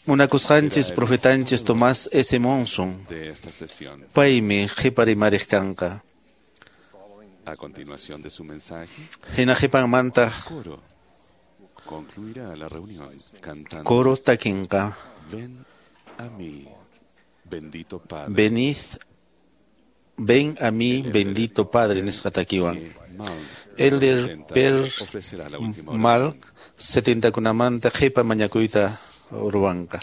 Munakusqanchis profetanchis Tomás S. Monson paymi qhiparimariq kanqa. A continuación de su mensaje, hina qhipanmantaq concluirá la reunión cantando coro takinqa. Ven a mí, bendito Padre. Venid, ven a mí, bendito Padre, nisqa takiwan. Elder Per Mal 70kunamanta qhipa mañakuyta ruwanqa.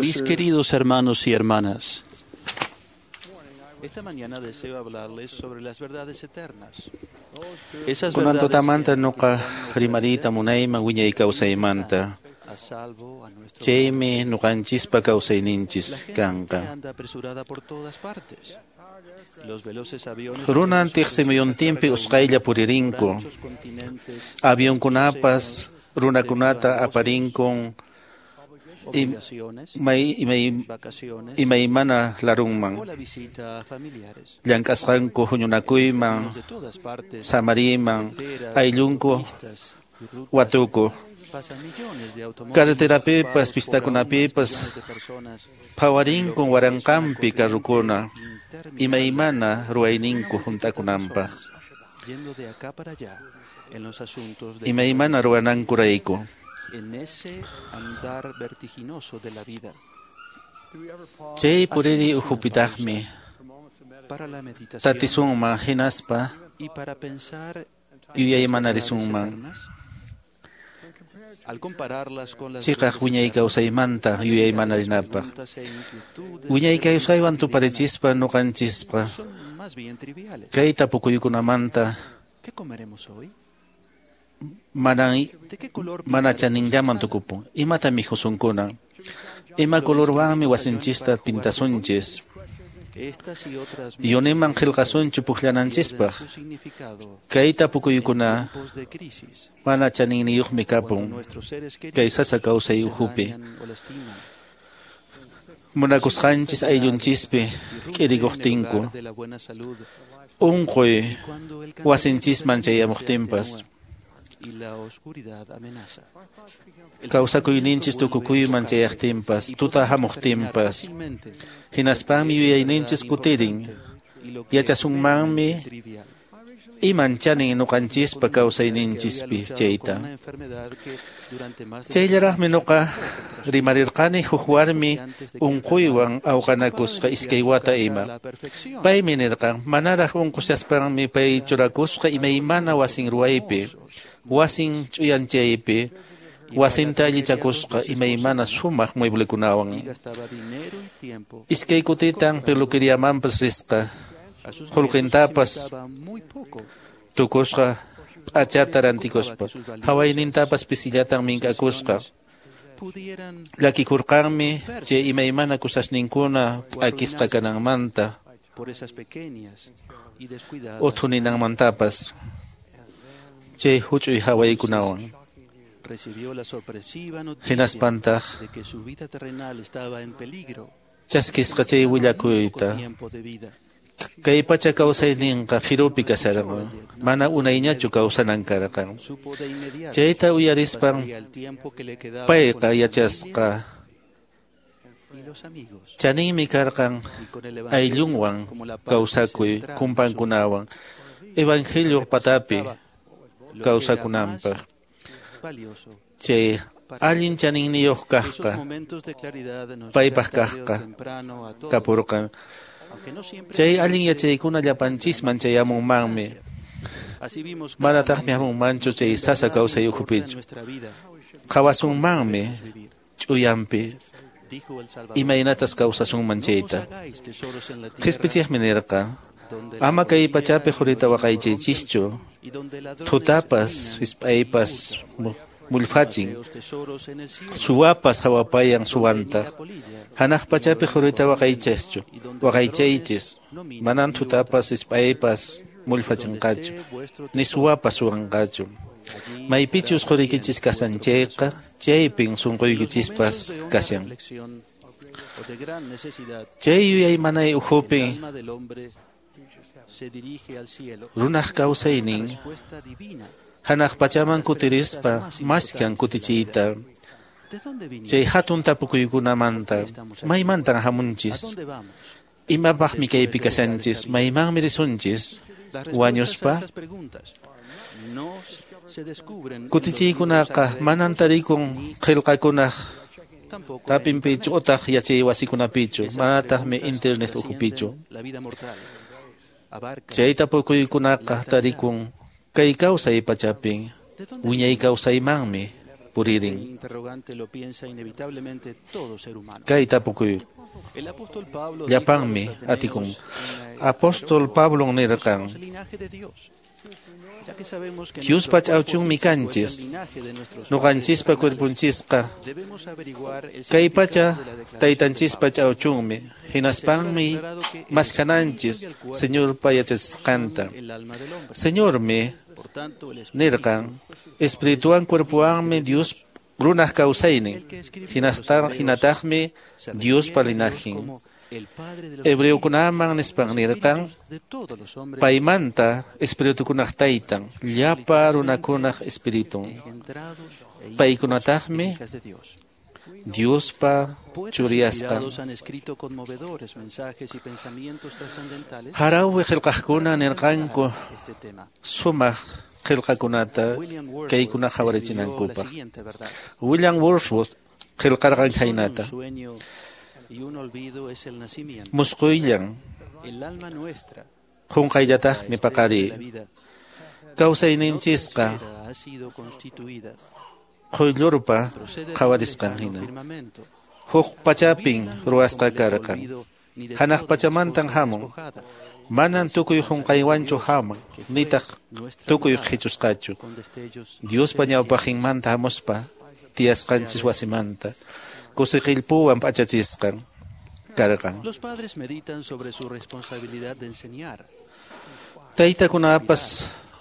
Mis queridos hermanos y hermanas, esta mañana deseo hablarles sobre las verdades eternas. Esas Kunan verdades tutamanta nuqa rimariyta munayman wiñay kawsaymanta. a salvo a nuestro Chaymi nuqanchispa kawsayninchis La gente kanqa. anda apresurada por todas partes. Los veloces aviones Runan tiqsimuyuntinpi usqhaylla puririnku. Avionkunapas runakunata aparinkun obligaciones, vacaciones imaymana larunman. o la visita a familiares. Llank'asqanku huñunakuyman, De todas partes, samariyman, carreteras, ayllunku autopistas y rutas, watuku. pasan millones de automóviles Carreterapipas, ocupados por aún más pistakunapipas, millones de personas. phawarinkun waranqanpi carrukuna, imaymana ruwayninku hunt'akunanpaq, Yendo de acá para allá en los asuntos de imaymana ruwanankurayku. en ese andar vertiginoso de la vida. Chay puriri Hacemos una ukhupitaqmi pausa para la meditación tatisunman hinaspa y para pensar en las verdades yuyaymanarisunman. eternas. Al compararlas con las Chiqaq verdades wiñay eternas, kawsaymanta yuyaymanarinampaq. preguntas e inquietudes Wiñay de la vida kawsaywan cotidiana tuparichispa nuqanchispa son más bien triviales. kay tapukuykunamanta ¿Qué comeremos hoy? manan ¿De qué color mana pintaremos la chaninllaman sala? tukupun. Imata mikhusunkuna? Ima colorwanmi wasinchista pintasunchis? Estas y otras muchas Yuniman preguntas qillqasunchu pierden pukllananchispaq. su significado Kay en tapukuykuna tiempos de crisis, mana chaninniyuqmi cuando kapun. nuestros seres Kay queridos sasa kawsay se ukhupi. dañan o lastiman. Munakusqanchis ayllunchishpi Irrumpe en el k'irikuqtinku. hogar de la buena salud Unquy y cuando el cansancio wasinchisman de la vida se chayamuqtinpas. atenúa y la oscuridad amenaza. El Kawsakuyninchis pensamiento vuelve a tukukuyman enfocarse chayaqtinpas, y tuta podemos determinar hamuqtinpas. fácilmente Hinaspanmi lo que es en yuyayninchis verdad kutirin. importante y lo que es Yachasunmanmi meramente trivial. iman chanin nuqanchispa Con una mujer que había kawsayninchispi luchado con chayta. una enfermedad que durante más de Chayllaraqmi 10 años nuqa luchó contra su rimarirqani huk warmi que antes de que unquywan enfermara se ocupaba de awqanakusqa limpiar iskay su wata casa a ima. la perfección. Paymi nirqan, manaraq unqushaspanmi pay churakusqa imaymana wasin ruwaypi, wasin ch'uyanchaypi, Y para wasinta la tontería dos allichakusqa veces por imaymana semana sumaq y mueblekunawan. gastaba dinero y tiempo Iskay kutitan comprando. peluqueriamanpas risqa, A sus nietos los qullqintapas invitaba muy poco. tukusqa No p'achata les preocupaba rantikuspa, que sus valiosas hawaynintapas pisillatan mink'akusqa. posesiones pudieran Llakikurqanmi chay romperse imaymana kusasninkuna o p'akisqa arruinarse kananmanta, por esas pequeñas y descuidadas uthuninanmantapas chay huch'uy hawaykunawan. Recibió la sorpresiva noticia Hinaspantaq de que su vida terrenal estaba en peligro. chaskisqa chay Quedaba muy poco willakuyta. tiempo de vida. Kay pacha kawsayninqa phirupi kasharqan, mana unayñachu kawsanan karqan. Supo de inmediato Chayta que uyarispan pasaría el tiempo que le quedaba con payqa la familia yachasqa y los amigos chaninmi karqan y con el Evangelio ayllunwan como la parte kawsakuy central de su vida. kumpankunawan evangelio patapi Representaba lo que era más kawsakunanpaq. valioso Chay para allin él. chaninniyuq Esos kaqqa momentos de claridad nos llegan paypaq tarde o kaqqa temprano a todos, kapurqan. aunque no siempre Chay nos allin guste yachaykuna tanta llapanchisman chayamunmanmi. importancia. Así vimos Manataqmi claramente hamunmanchu lo que chay en sasa verdad kawsay importa en ukhupichu. nuestra vida y cómo Qhawasunmanmi debemos vivir. ch'uyanpi Dijo el Salvador, imaynatas kawsasunman no os chayta. hagáis tesoros en la tierra, Qhispichiqmi nirqa, donde la ama kay polilla pachapi y el qurita orín corrompen waqaychaychischu, y donde ladrones thutapas minan y hisp'aypas hurtan. Mullfachin suwapas hawapayan suwantaq hanaq pachapi qurita waqaychaschu waqaychaychis manan tutapas isp'aypas mullfachinqachu ni suwapas suwanqachu maypichus quriykichis kashan chayqa chaypin sunquykichispas kashan. Chay yuyaymanay ukhupi runaq kawsaynin hanaq pachaman kutirispa maskan kutichiyta chay hatun tapukuykunamanta maymantan hamunchis imapaqmi kaypi kashanchis maymanmi risunchis wañuspa kutichiykunaqa manan tarikun qillqakunaq rapinpichu utaq yachay wasikunapichu manataqmi internet ukhupichu chay tapukuykunaqa tarikun kay kawsay pachapin wiñay kawsaymanmi puririn. Kay tapukuy llapanmi atikun. Apóstol Pablo nirqan Diospa ch'awchunmi kanchis nuqanchispa cuerponchisqa kay pacha taytanchispa ch'awchunmi hinaspanmi maskananchis Señorpa yachachisqanta. Señormi nirqan espirituwan cuerpowanmi Dios runaq kawsaynin hinataqmi Diospa linajin. Hebreukunaman nispan nirqan paymanta espiritukunaq taytan llapa runakunaq espiritun paykunataqmi Diospa churiyasqan. Harawi qillqaqkuna nirqanku sumaq qillqakunata kaykuna qhawarichinankupaq. William Wordsworth qillqarqan khaynata: Musquyllan qunqayllataqmi paqariy kawsayninchisqa quyllurpa qhawarisqan hina huk pachapin ruwasqa karqan hanaq pachamantan hamun manan tukuy qunqaywanchu hamun nitaq tukuy qhichusqachu Diospa ñawpaqinmanta hamuspa tiyasqanchis wasimanta kusiqillpuwan p'achachisqan karqan. Taytakunapas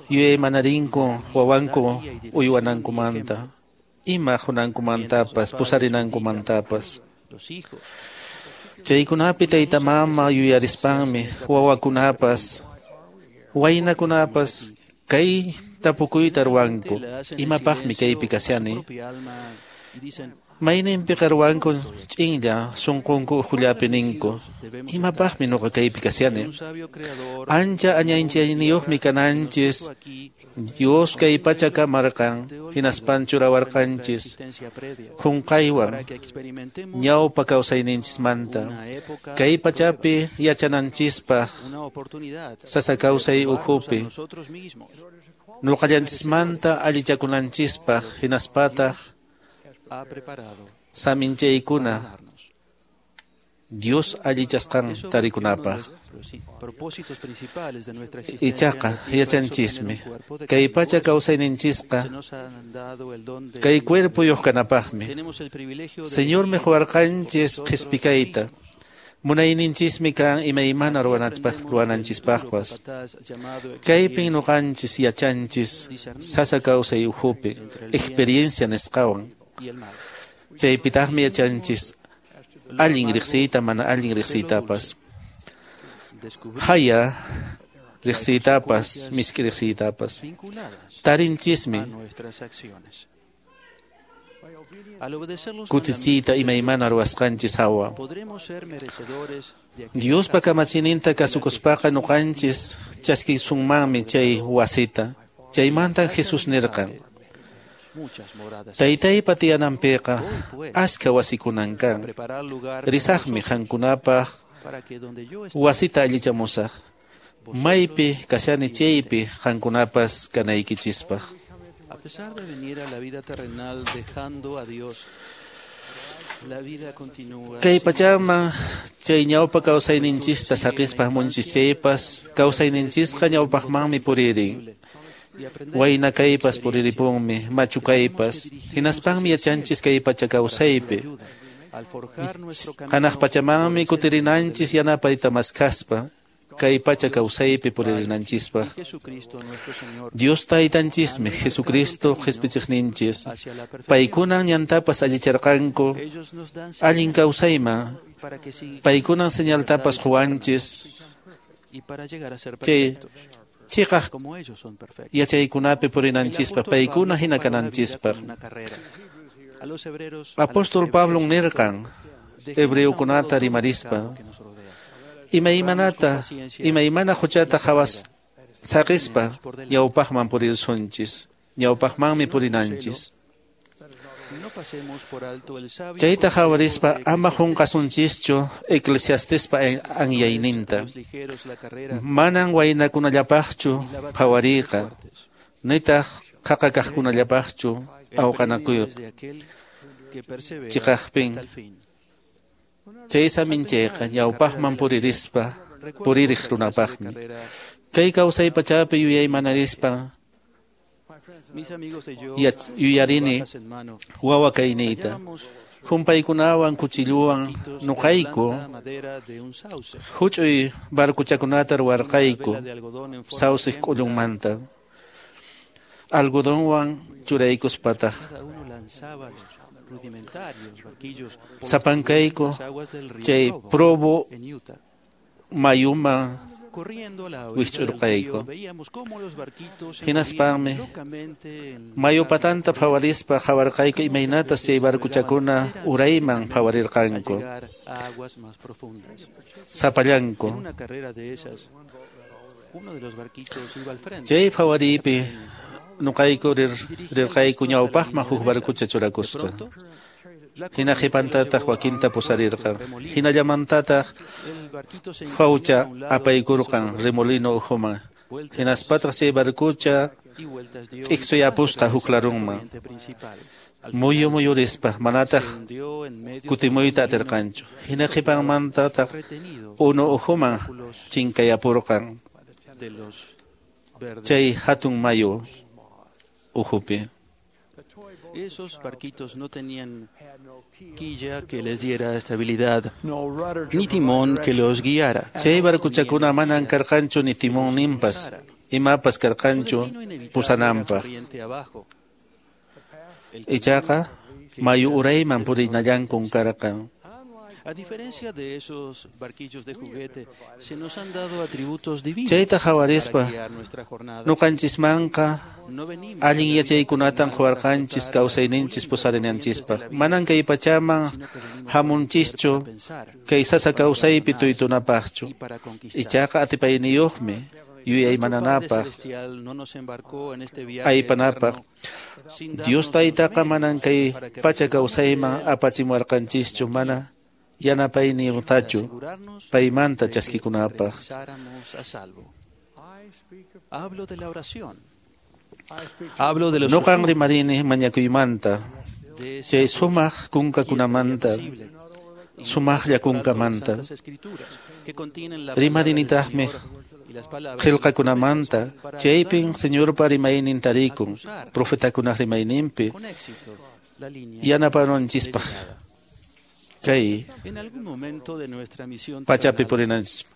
yuyaymanarinku wawanku uywanankumanta ima qunankumantapas pusarinankumantapas. Chaykunapi tayta mama yuyarispanmi wawakunapas waynakunapas kay tapukuyta ruwanku imapaqmi kaypi kashani. Mayninpiqa ruwanku ch'inlla sunqunku ukhullapi ninku imapaqmi nuqa kaypi kashani. Ancha añanchayniyuqmi kananchis Dios kay pacha kamarqan hinaspan churawarqanchis qunqaywan ñawpa kawsayninchismanta kay pachapi yachananchispaq sasa kawsay ukhupi nuqallanchismanta allichakunanchispaq hinaspataq saminchaykuna Dios allichasqan tarikunapaq. Ichaqa yachanchismi kay pacha kawsayninchisqa kay cuerpoyuq kanapaqmi. Señormi quwarqanchis qhispikayta munayninchismi kan imaymana ruwananchispaqpas. Kaypin nuqanchis yachanchis sasa kawsay ukhupi experiencia nisqawan. Chaypitaqmi yachanchis allin riqsiyta mana allin riqsiytapas haya riqsiytapas misk'i riqsiytapas tarinchismi kutichiyta imaymana ruwasqanchis hawa. Diospa kamachininta kasukuspaqa nuqanchis chaskisunmanmi chay wasita. Chaymantan Jesús nirqan: Taytaypa tiyananpiqa achka wasikunan kan. Risaqmi qankunapaq wasita allichamusaq. Maypi kashani chaypi qankunapas kanaykichispaq. Kay pachaman chay ñawpa kawsayninchista saqispa hamunchis chaypas kawsayninchisqa ñawpaqmanmi puririn. Wayna kaypas puriripunmi, machu kaypas, hinaspanmi yachanchis kay pacha kawsaypi. Hanaq pachamanmi kutirinanchis yanapayta maskaspa, kay pacha kawsaypi puririnanchispaq. Dios taytanchismi, Jesucristo qhispichiqninchis. Paykunan ñantapas allicharqanku, allin kawsayman, paykunan señaltapas quwanchis, chay chiqaq yachaykunapi purinanchispaq, paykuna hina kananchispaq. Apóstol Pablon nirqan hebreukunata rimarispa, imaymana huchata hawas saqispa ñawpaqman purirsunchis, ñawpaqmanmi purinanchis. Chayta hawarispa ama qunqasunchischu Eclesiastespa anyayninta. Manan waynakunallapaqchu phawariyqa, nitaq qaqa kaqkunallapaqchu awqanakuyqa. Chiqaqpin chay saminchayqa ñawpaqman puririspa puririq runapaqmi. Kay kawsay pachapi yuyaymanarispa yuyarini wawa kayniyta. Humpaykunawan kuchilluwan nuqayku huch'uy barcochakunata ruwarqayku sawsiq k'ullunmanta. Algodonwan churaykuspataq sapankayku chay Provo mayuman wisch'urqayku. Hinaspanmi mayu patanta phawarispa qhawarqayku imaynatas chay barcochakuna urayman phawarirqanku sapallanku. Chay phawariypi nuqayku rirqayku ñawpaqman huk barcocha churakusqa. Hina qhipantataq wakinta pusarirqan. Hinallamantataq fawcha apaykurqan remolino ukhuman. Hinaspataq chay barcocha t'iksuyapusqa huk larunman. Muyu muyurispa manataq kutimuyta atirqanchu. Hina qhipanmantataq unu ukhuman chinkayapurqan chay hatun mayu ukhupi. Esos barquitos no tenían quilla que les diera estabilidad, ni timón que los guiara. Chay barcochakuna manan karqanchu ni timón ninpas, imapas karqanchu pusananpaq. Ichaqa mayu urayman purinallankun karqan. A diferencia de esos barquillos de juguete, se nos han dado atributos divinos Chayta hawarispa para guiar nuestra jornada. nuqanchismanqa allin yachaykunatan quwarqanchis kawsayninchis pusarinanchispaq. Manan kay pachaman hamunchischu kay sasa kawsaypi tuytunapaqchu. Ichaqa atipayniyuqmi yuyaymananapaq, aypanapaq. Dios taytaqa manan kay pacha kawsayman apachimuwarqanchischu mana yanapayniyutachu paymanta chaskikunapaq. Nuqan rimarini mañakuymanta, chay sumaq kunkakunamanta, sumaqlla kunkamanta. Rimarinitaqmi qillqakunamanta, chaypin Señorpa rimaynin tarikun, profetakunaq rimayninpi yanapananchispaq. Kay pachapi purinanchis.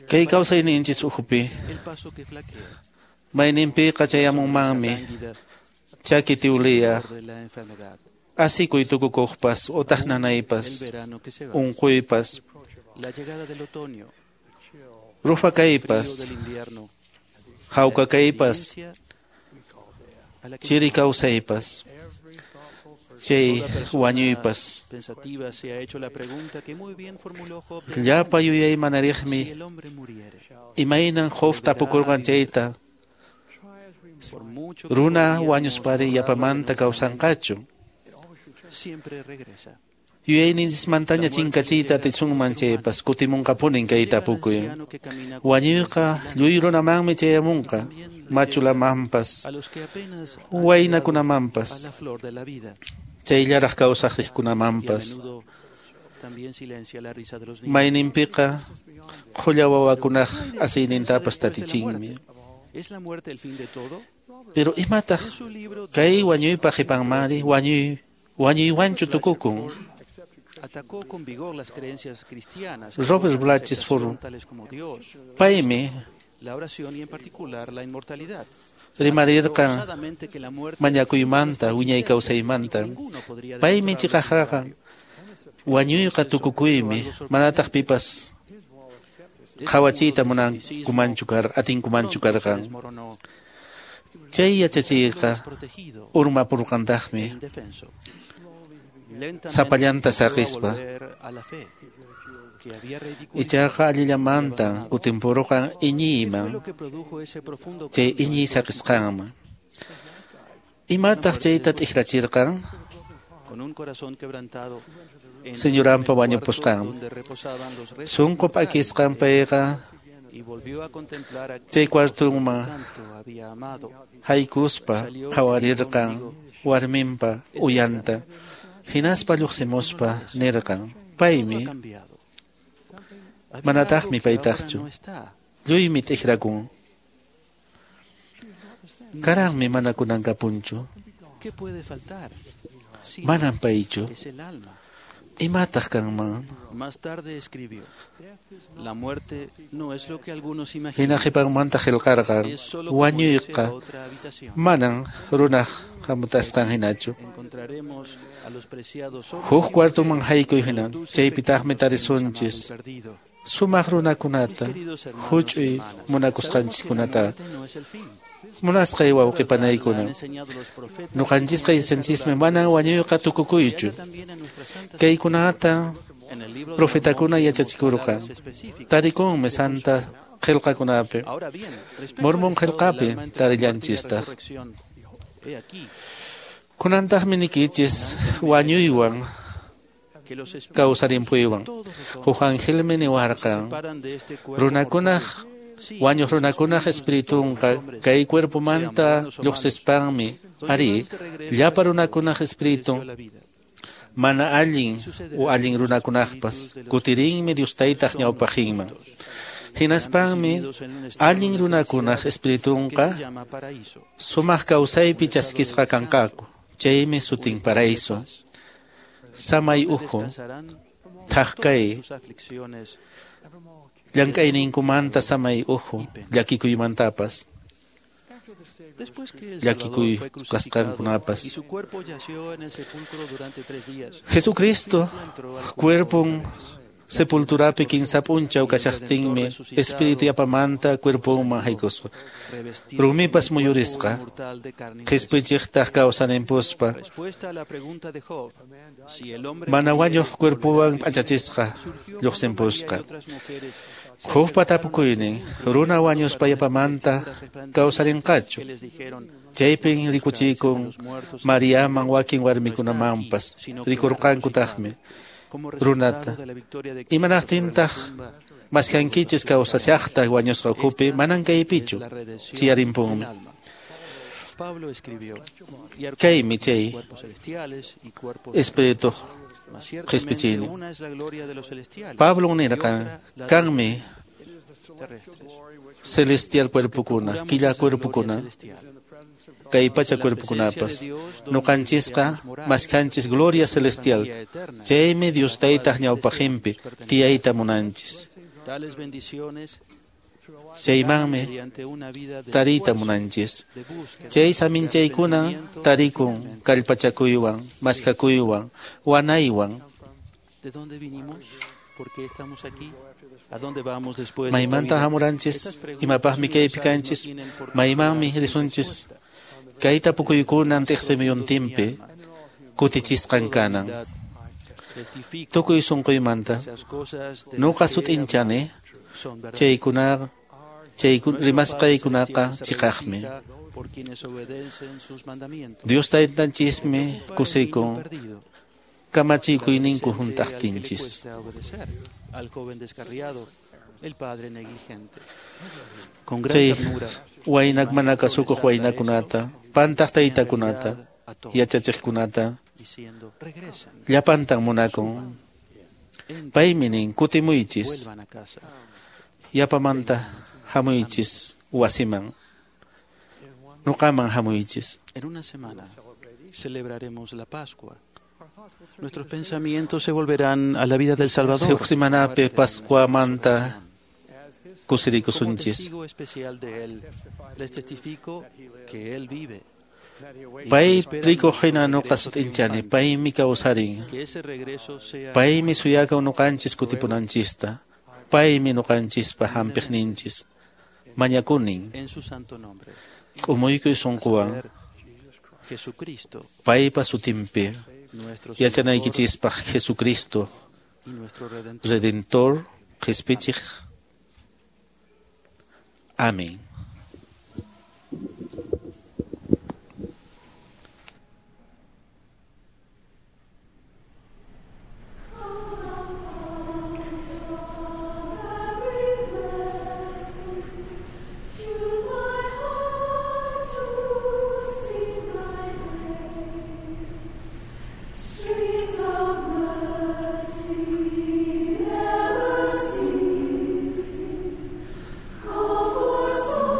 Kay kawsayninchis ukhupi mayninpiqa chayamunmanmi chaki tiwliya, asikuy tukukuqpas utaq nanaypas, unquypas, rufa kaypas, hawka kaypas, chiri kawsaypas, chay wañuypas. Llapa yuyaymanariqmi imaynan Job tapukurqan chayta, runa wañuspari yapamanta kawsanqachu. Yuyayninchismantaña chinkachiyta atisunman chaypas kutimunqapunin kay tapukuy. Wañuyqa lluy runamanmi chayamunqa, machulamanpas, waynakunamanpas, chayllaraq kawsaq riqkunamanpas. Mayninpiqa qhulla wawakunaq asiynintapas tatichinmi. Pero imataq kay wañuypa qhipanmanri wañuywanchu tukukun. Robert Blatchford paymi rimarirqan mañakuymanta wiñay kawsaymanta. Paymi chiqaqraqa wañuyqa tukukuymi, manataq pipas qhawachiyta munankumanchu karqa, atinkumanchu karqan. Chay yachachiyqa urmapurqantaqmi sapallanta saqispa. Ichaqa allillamanta kutimpurqan iñiyman, chay iñiy saqisqanman. Imataq chayta t'ikrachirqan? Señoranpa wañupusqan. Sunqu p'akisqan payqa chay cuartunman haykuspa qhawarirqan warminpa uyanta, hinaspa lluqsimuspa nirqan: paymi, manataqmi paytaqchu, lluymi t'ikrakun, karanmi mana kunankapunchu, manam paychu. Imataq kanman? Hina qhipanmanta qillqarqan: wañuyqa manan runaq hamutasqan hinachu. Huk cuartuman haykuy hina, chaypitaqmi tarisunchis sumaq runakunata, huch'uy munakusqanchiskunata. Munasqay wawqi panaykuna, ñuqanchisqa yachanchismi manan wañuyqa tukukuychu. Kaykunata profetakuna yachachikurqan, tarikunmi santa qillqakunapi, Mormon qillqapi tarillanchistaq. Kunantaqmi nikichis wañuywan kawsarimpuywan. Huk angelmi niwarqan: runakunaq wañuq runakunaq espiritunqa kay cuerpomanta lluqsispanmi, ari, llapa runakunaq espiritun mana allin o allin runakunaqpas kutirinmi Dios Taytaq ñawpaqinman. Hinaspanmi allin runakunaq espiritunqa sumaq kawsaypi chaskisqa kanqaku, chaymi sutin paraíso. Samay uhu, thaqkay, llank'ayninkumanta samay uhu, llakikuymantapas, llakikuy kasqankunapas. Jesucristo cuerpon sepulturapi kinsa p'unchaw kashaqtinmi espíritu yapamanta cuerponman haykusqa, rumipas muyurisqa, qhispichiqtaq kawsaninpuspa mana wañuq cuerpowan p'achachisqa lluqsinpusqa. Jobpa tapukuynin: runa wañuspa yapamanta kawsarinqachu? Chaypin rikuchikun Mariaman wakin warmikunamanpas, rikurqankutaqmi runata. Imanaqtintaq maskankichis kawsashaqta wañusqa ukhupi? Manan kaypichu, chiyarimpunmi. Kaymi chay espirituq qhispichiynin. Pablo nirqan: kanmi celestial cuerpokuna, killa cuerpokuna, kay pacha cuerpokunapas. Ñuqanchisqa maskanchis gloria celestial, chaymi Dios Taytaq ñawpaqinpi tiyayta munanchis. Chaymanmi tariyta munanchis. Chay saminchaykuna tarikun kallpachakuywan, maskakuywan, wanaywan. Maymanta hamuranchis, imapaqmi kaypi kanchis, maymanmi risunchis. Kay tapukuykunan tiqsimuyuntinpi kutichisqan kanan. Tukuy sunquymanta nuqa sut'inchani chay rimasqaykunaqa chiqaqmi. Dios Taytanchismi kusikun kamachikuyninku hunt'aqtinchis. Chay waynak mana kasukuq waynakunata, pantaq taytakunata, yachachiqkunata llapantan munakun. Paymi nin: kutimuychis, yapamanta hamuychis wasiman. Nuqaman hamuychis. En una semana celebraremos la Pascua. Nuestros pensamientos se volverán a la vida del Salvador. Huk semanapi Pascuamanta kusirikusunchis. Como testigo especial de él, les testifico que él vive. Pay rikuq hina nuqa sut'inchani, paymi kawsarin. Que ese regreso sea Paymi suyakun nuqanchis kutipunanchista. Paymi nuqanchispa hampiqninchis. Mañakunin. en su santo nombre. K'umuykuy sunquwan. Jesucristo, Paypa sutinpi. nuestro Yachanaykichispaq Jesucristo, y nuestro Redentor. Redentor, Qhispichiq. Amén. Streams of mercy never ceasing, call for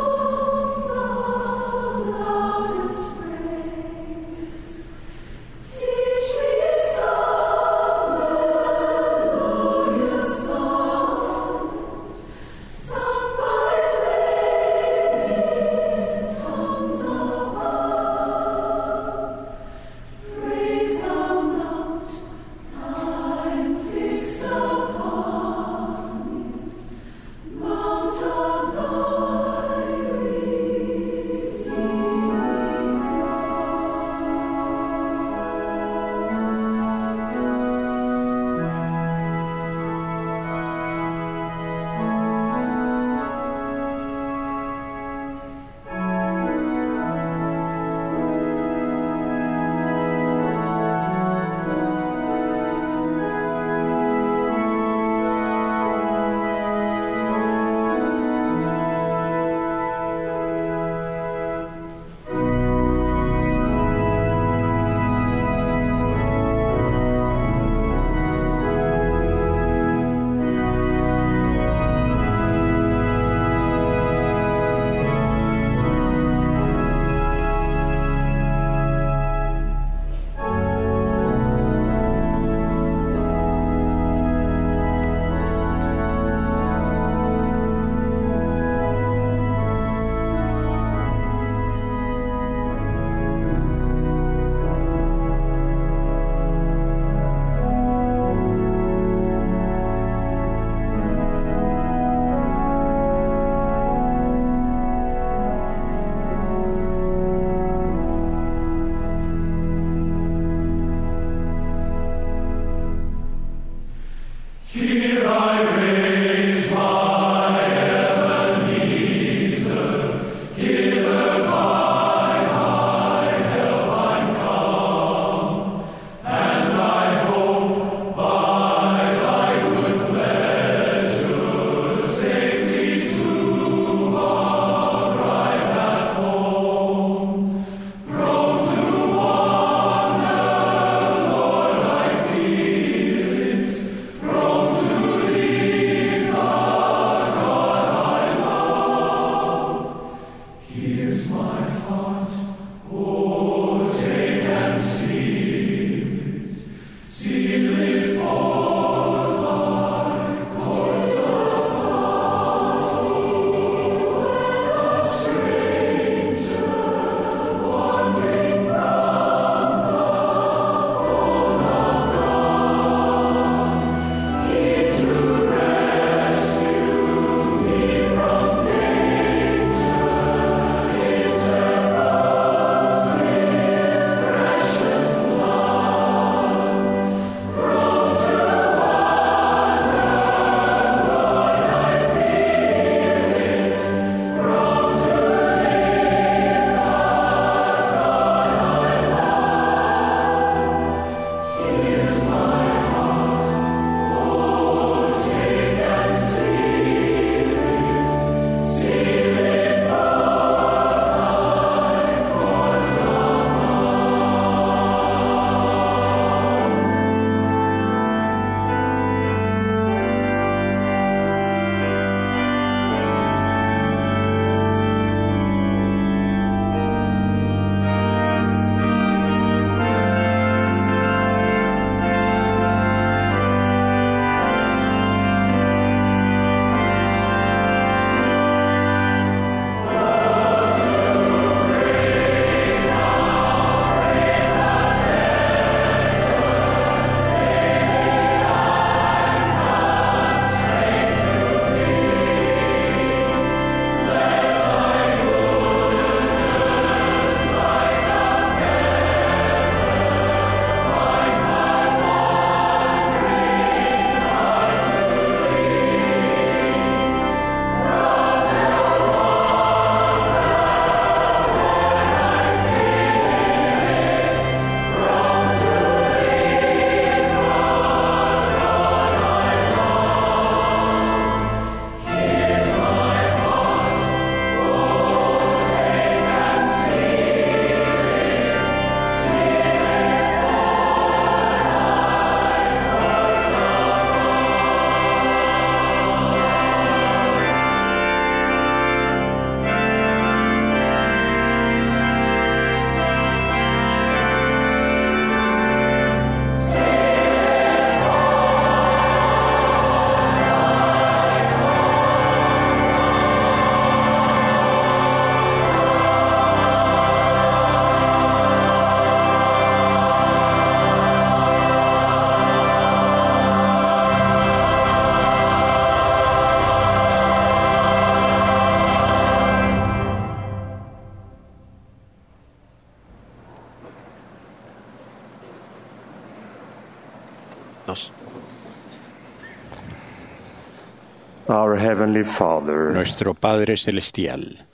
Our Heavenly Father, Nuestro Padre Celestial,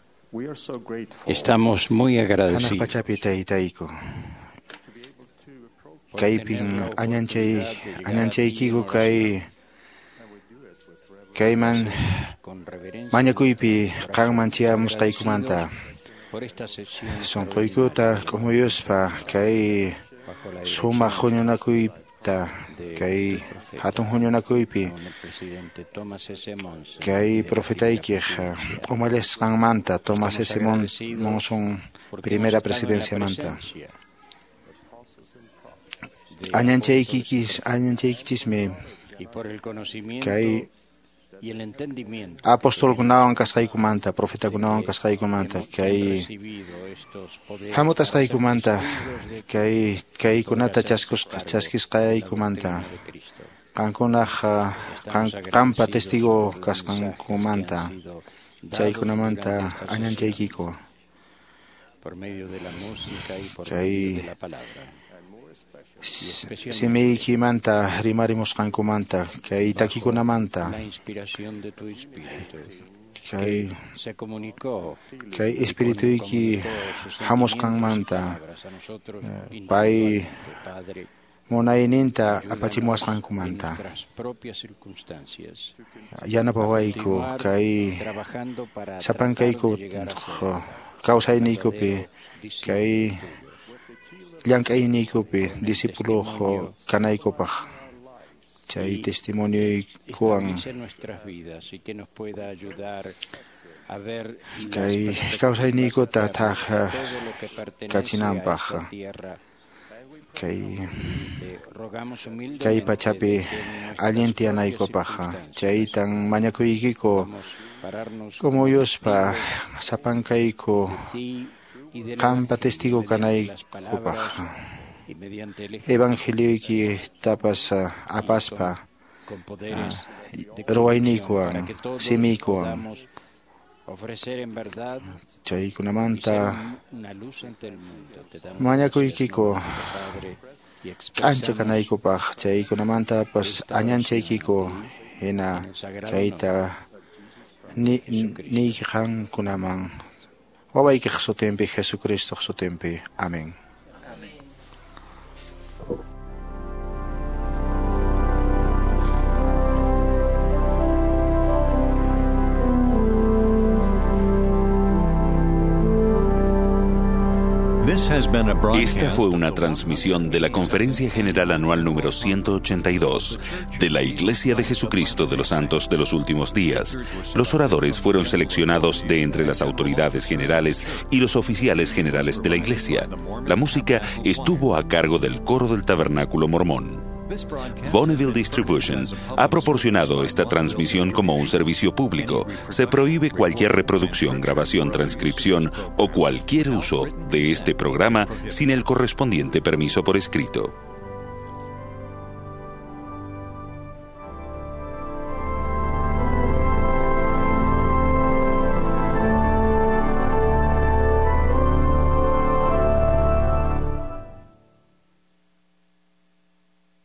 estamos muy Hanaq agradecidos pachapi taytayku. Kaypin añanchay añanchaykiku kay kayman mañakuypi qanman chayamusqaykumanta. Sunquykuta k'umuyuspa kay sumaq huñunakuyta kay hatun huñunakuypi kay profetaykiq umallisqanmanta Thomas S. Monson primera presidenciamanta. Añanchaykikis añanchaykichismi y por el conocimiento kay y el entendimiento apostolkunawan kasqaykumanta profetakunawan kasqaykumanta kay recibido estos poderes hamutasqaykumanta kay kaykunata chaskusqa chaskisqaykumanta qankunaq qanpa testigo kasqankumanta chaykunamanta añanchaykiku por medio de la música y por kay medio de la palabra. simiykimanta rimarimusqankumanta kay takikunamanta La inspiración de tu espíritu kay se comunicó kay espirituyki hamusqanmanta a nosotros pay Padre, munayninta apachimuwasqankumanta nuestras propias circunstancias, yanapawayku kay trabajando para sapankayku kawsayniykupi kay llank'ayniykupi discípulo kanaykupaq chay testimonioykuwan estabilice nuestras vidas y que nos pueda ayudar a ver las kay perspectivas kawsayniykuta eternas thaj de todo lo que pertenece a kachinanpaq esta tierra. kay Te rogamos humildemente kay pachapi de que en nuestras allin propias tiyanaykupaq chaytan mañakuykiku pararnos k'umuyuspa sapankayku ti y del qanpa Evangelio testigo mediante las kanaykupaq palabras y mediante el ejemplo evangelioykitapas apaspa con poderes de ruwayniykuwan para que todos simiykuwan podamos ofrecer en verdad y chaykunamanta ser una luz ante el mundo. Te damos mañakuykiku Padre, y k'ancha expresamos kanaykupaq chaykunamantapas añanchaykiku hina kayta niyki qankunaman wawaykiq sutinpi Jesucristoq sutinpi. Amén. Esta fue una transmisión de la Conferencia General Anual número 182 de la Iglesia de Jesucristo de los Santos de los Últimos Días. Los oradores fueron seleccionados de entre las autoridades generales y los oficiales generales de la Iglesia. La música estuvo a cargo del coro del Tabernáculo Mormón. Bonneville Distribution ha proporcionado esta transmisión como un servicio público. Se prohíbe cualquier reproducción, grabación, transcripción o cualquier uso de este programa sin el correspondiente permiso por escrito.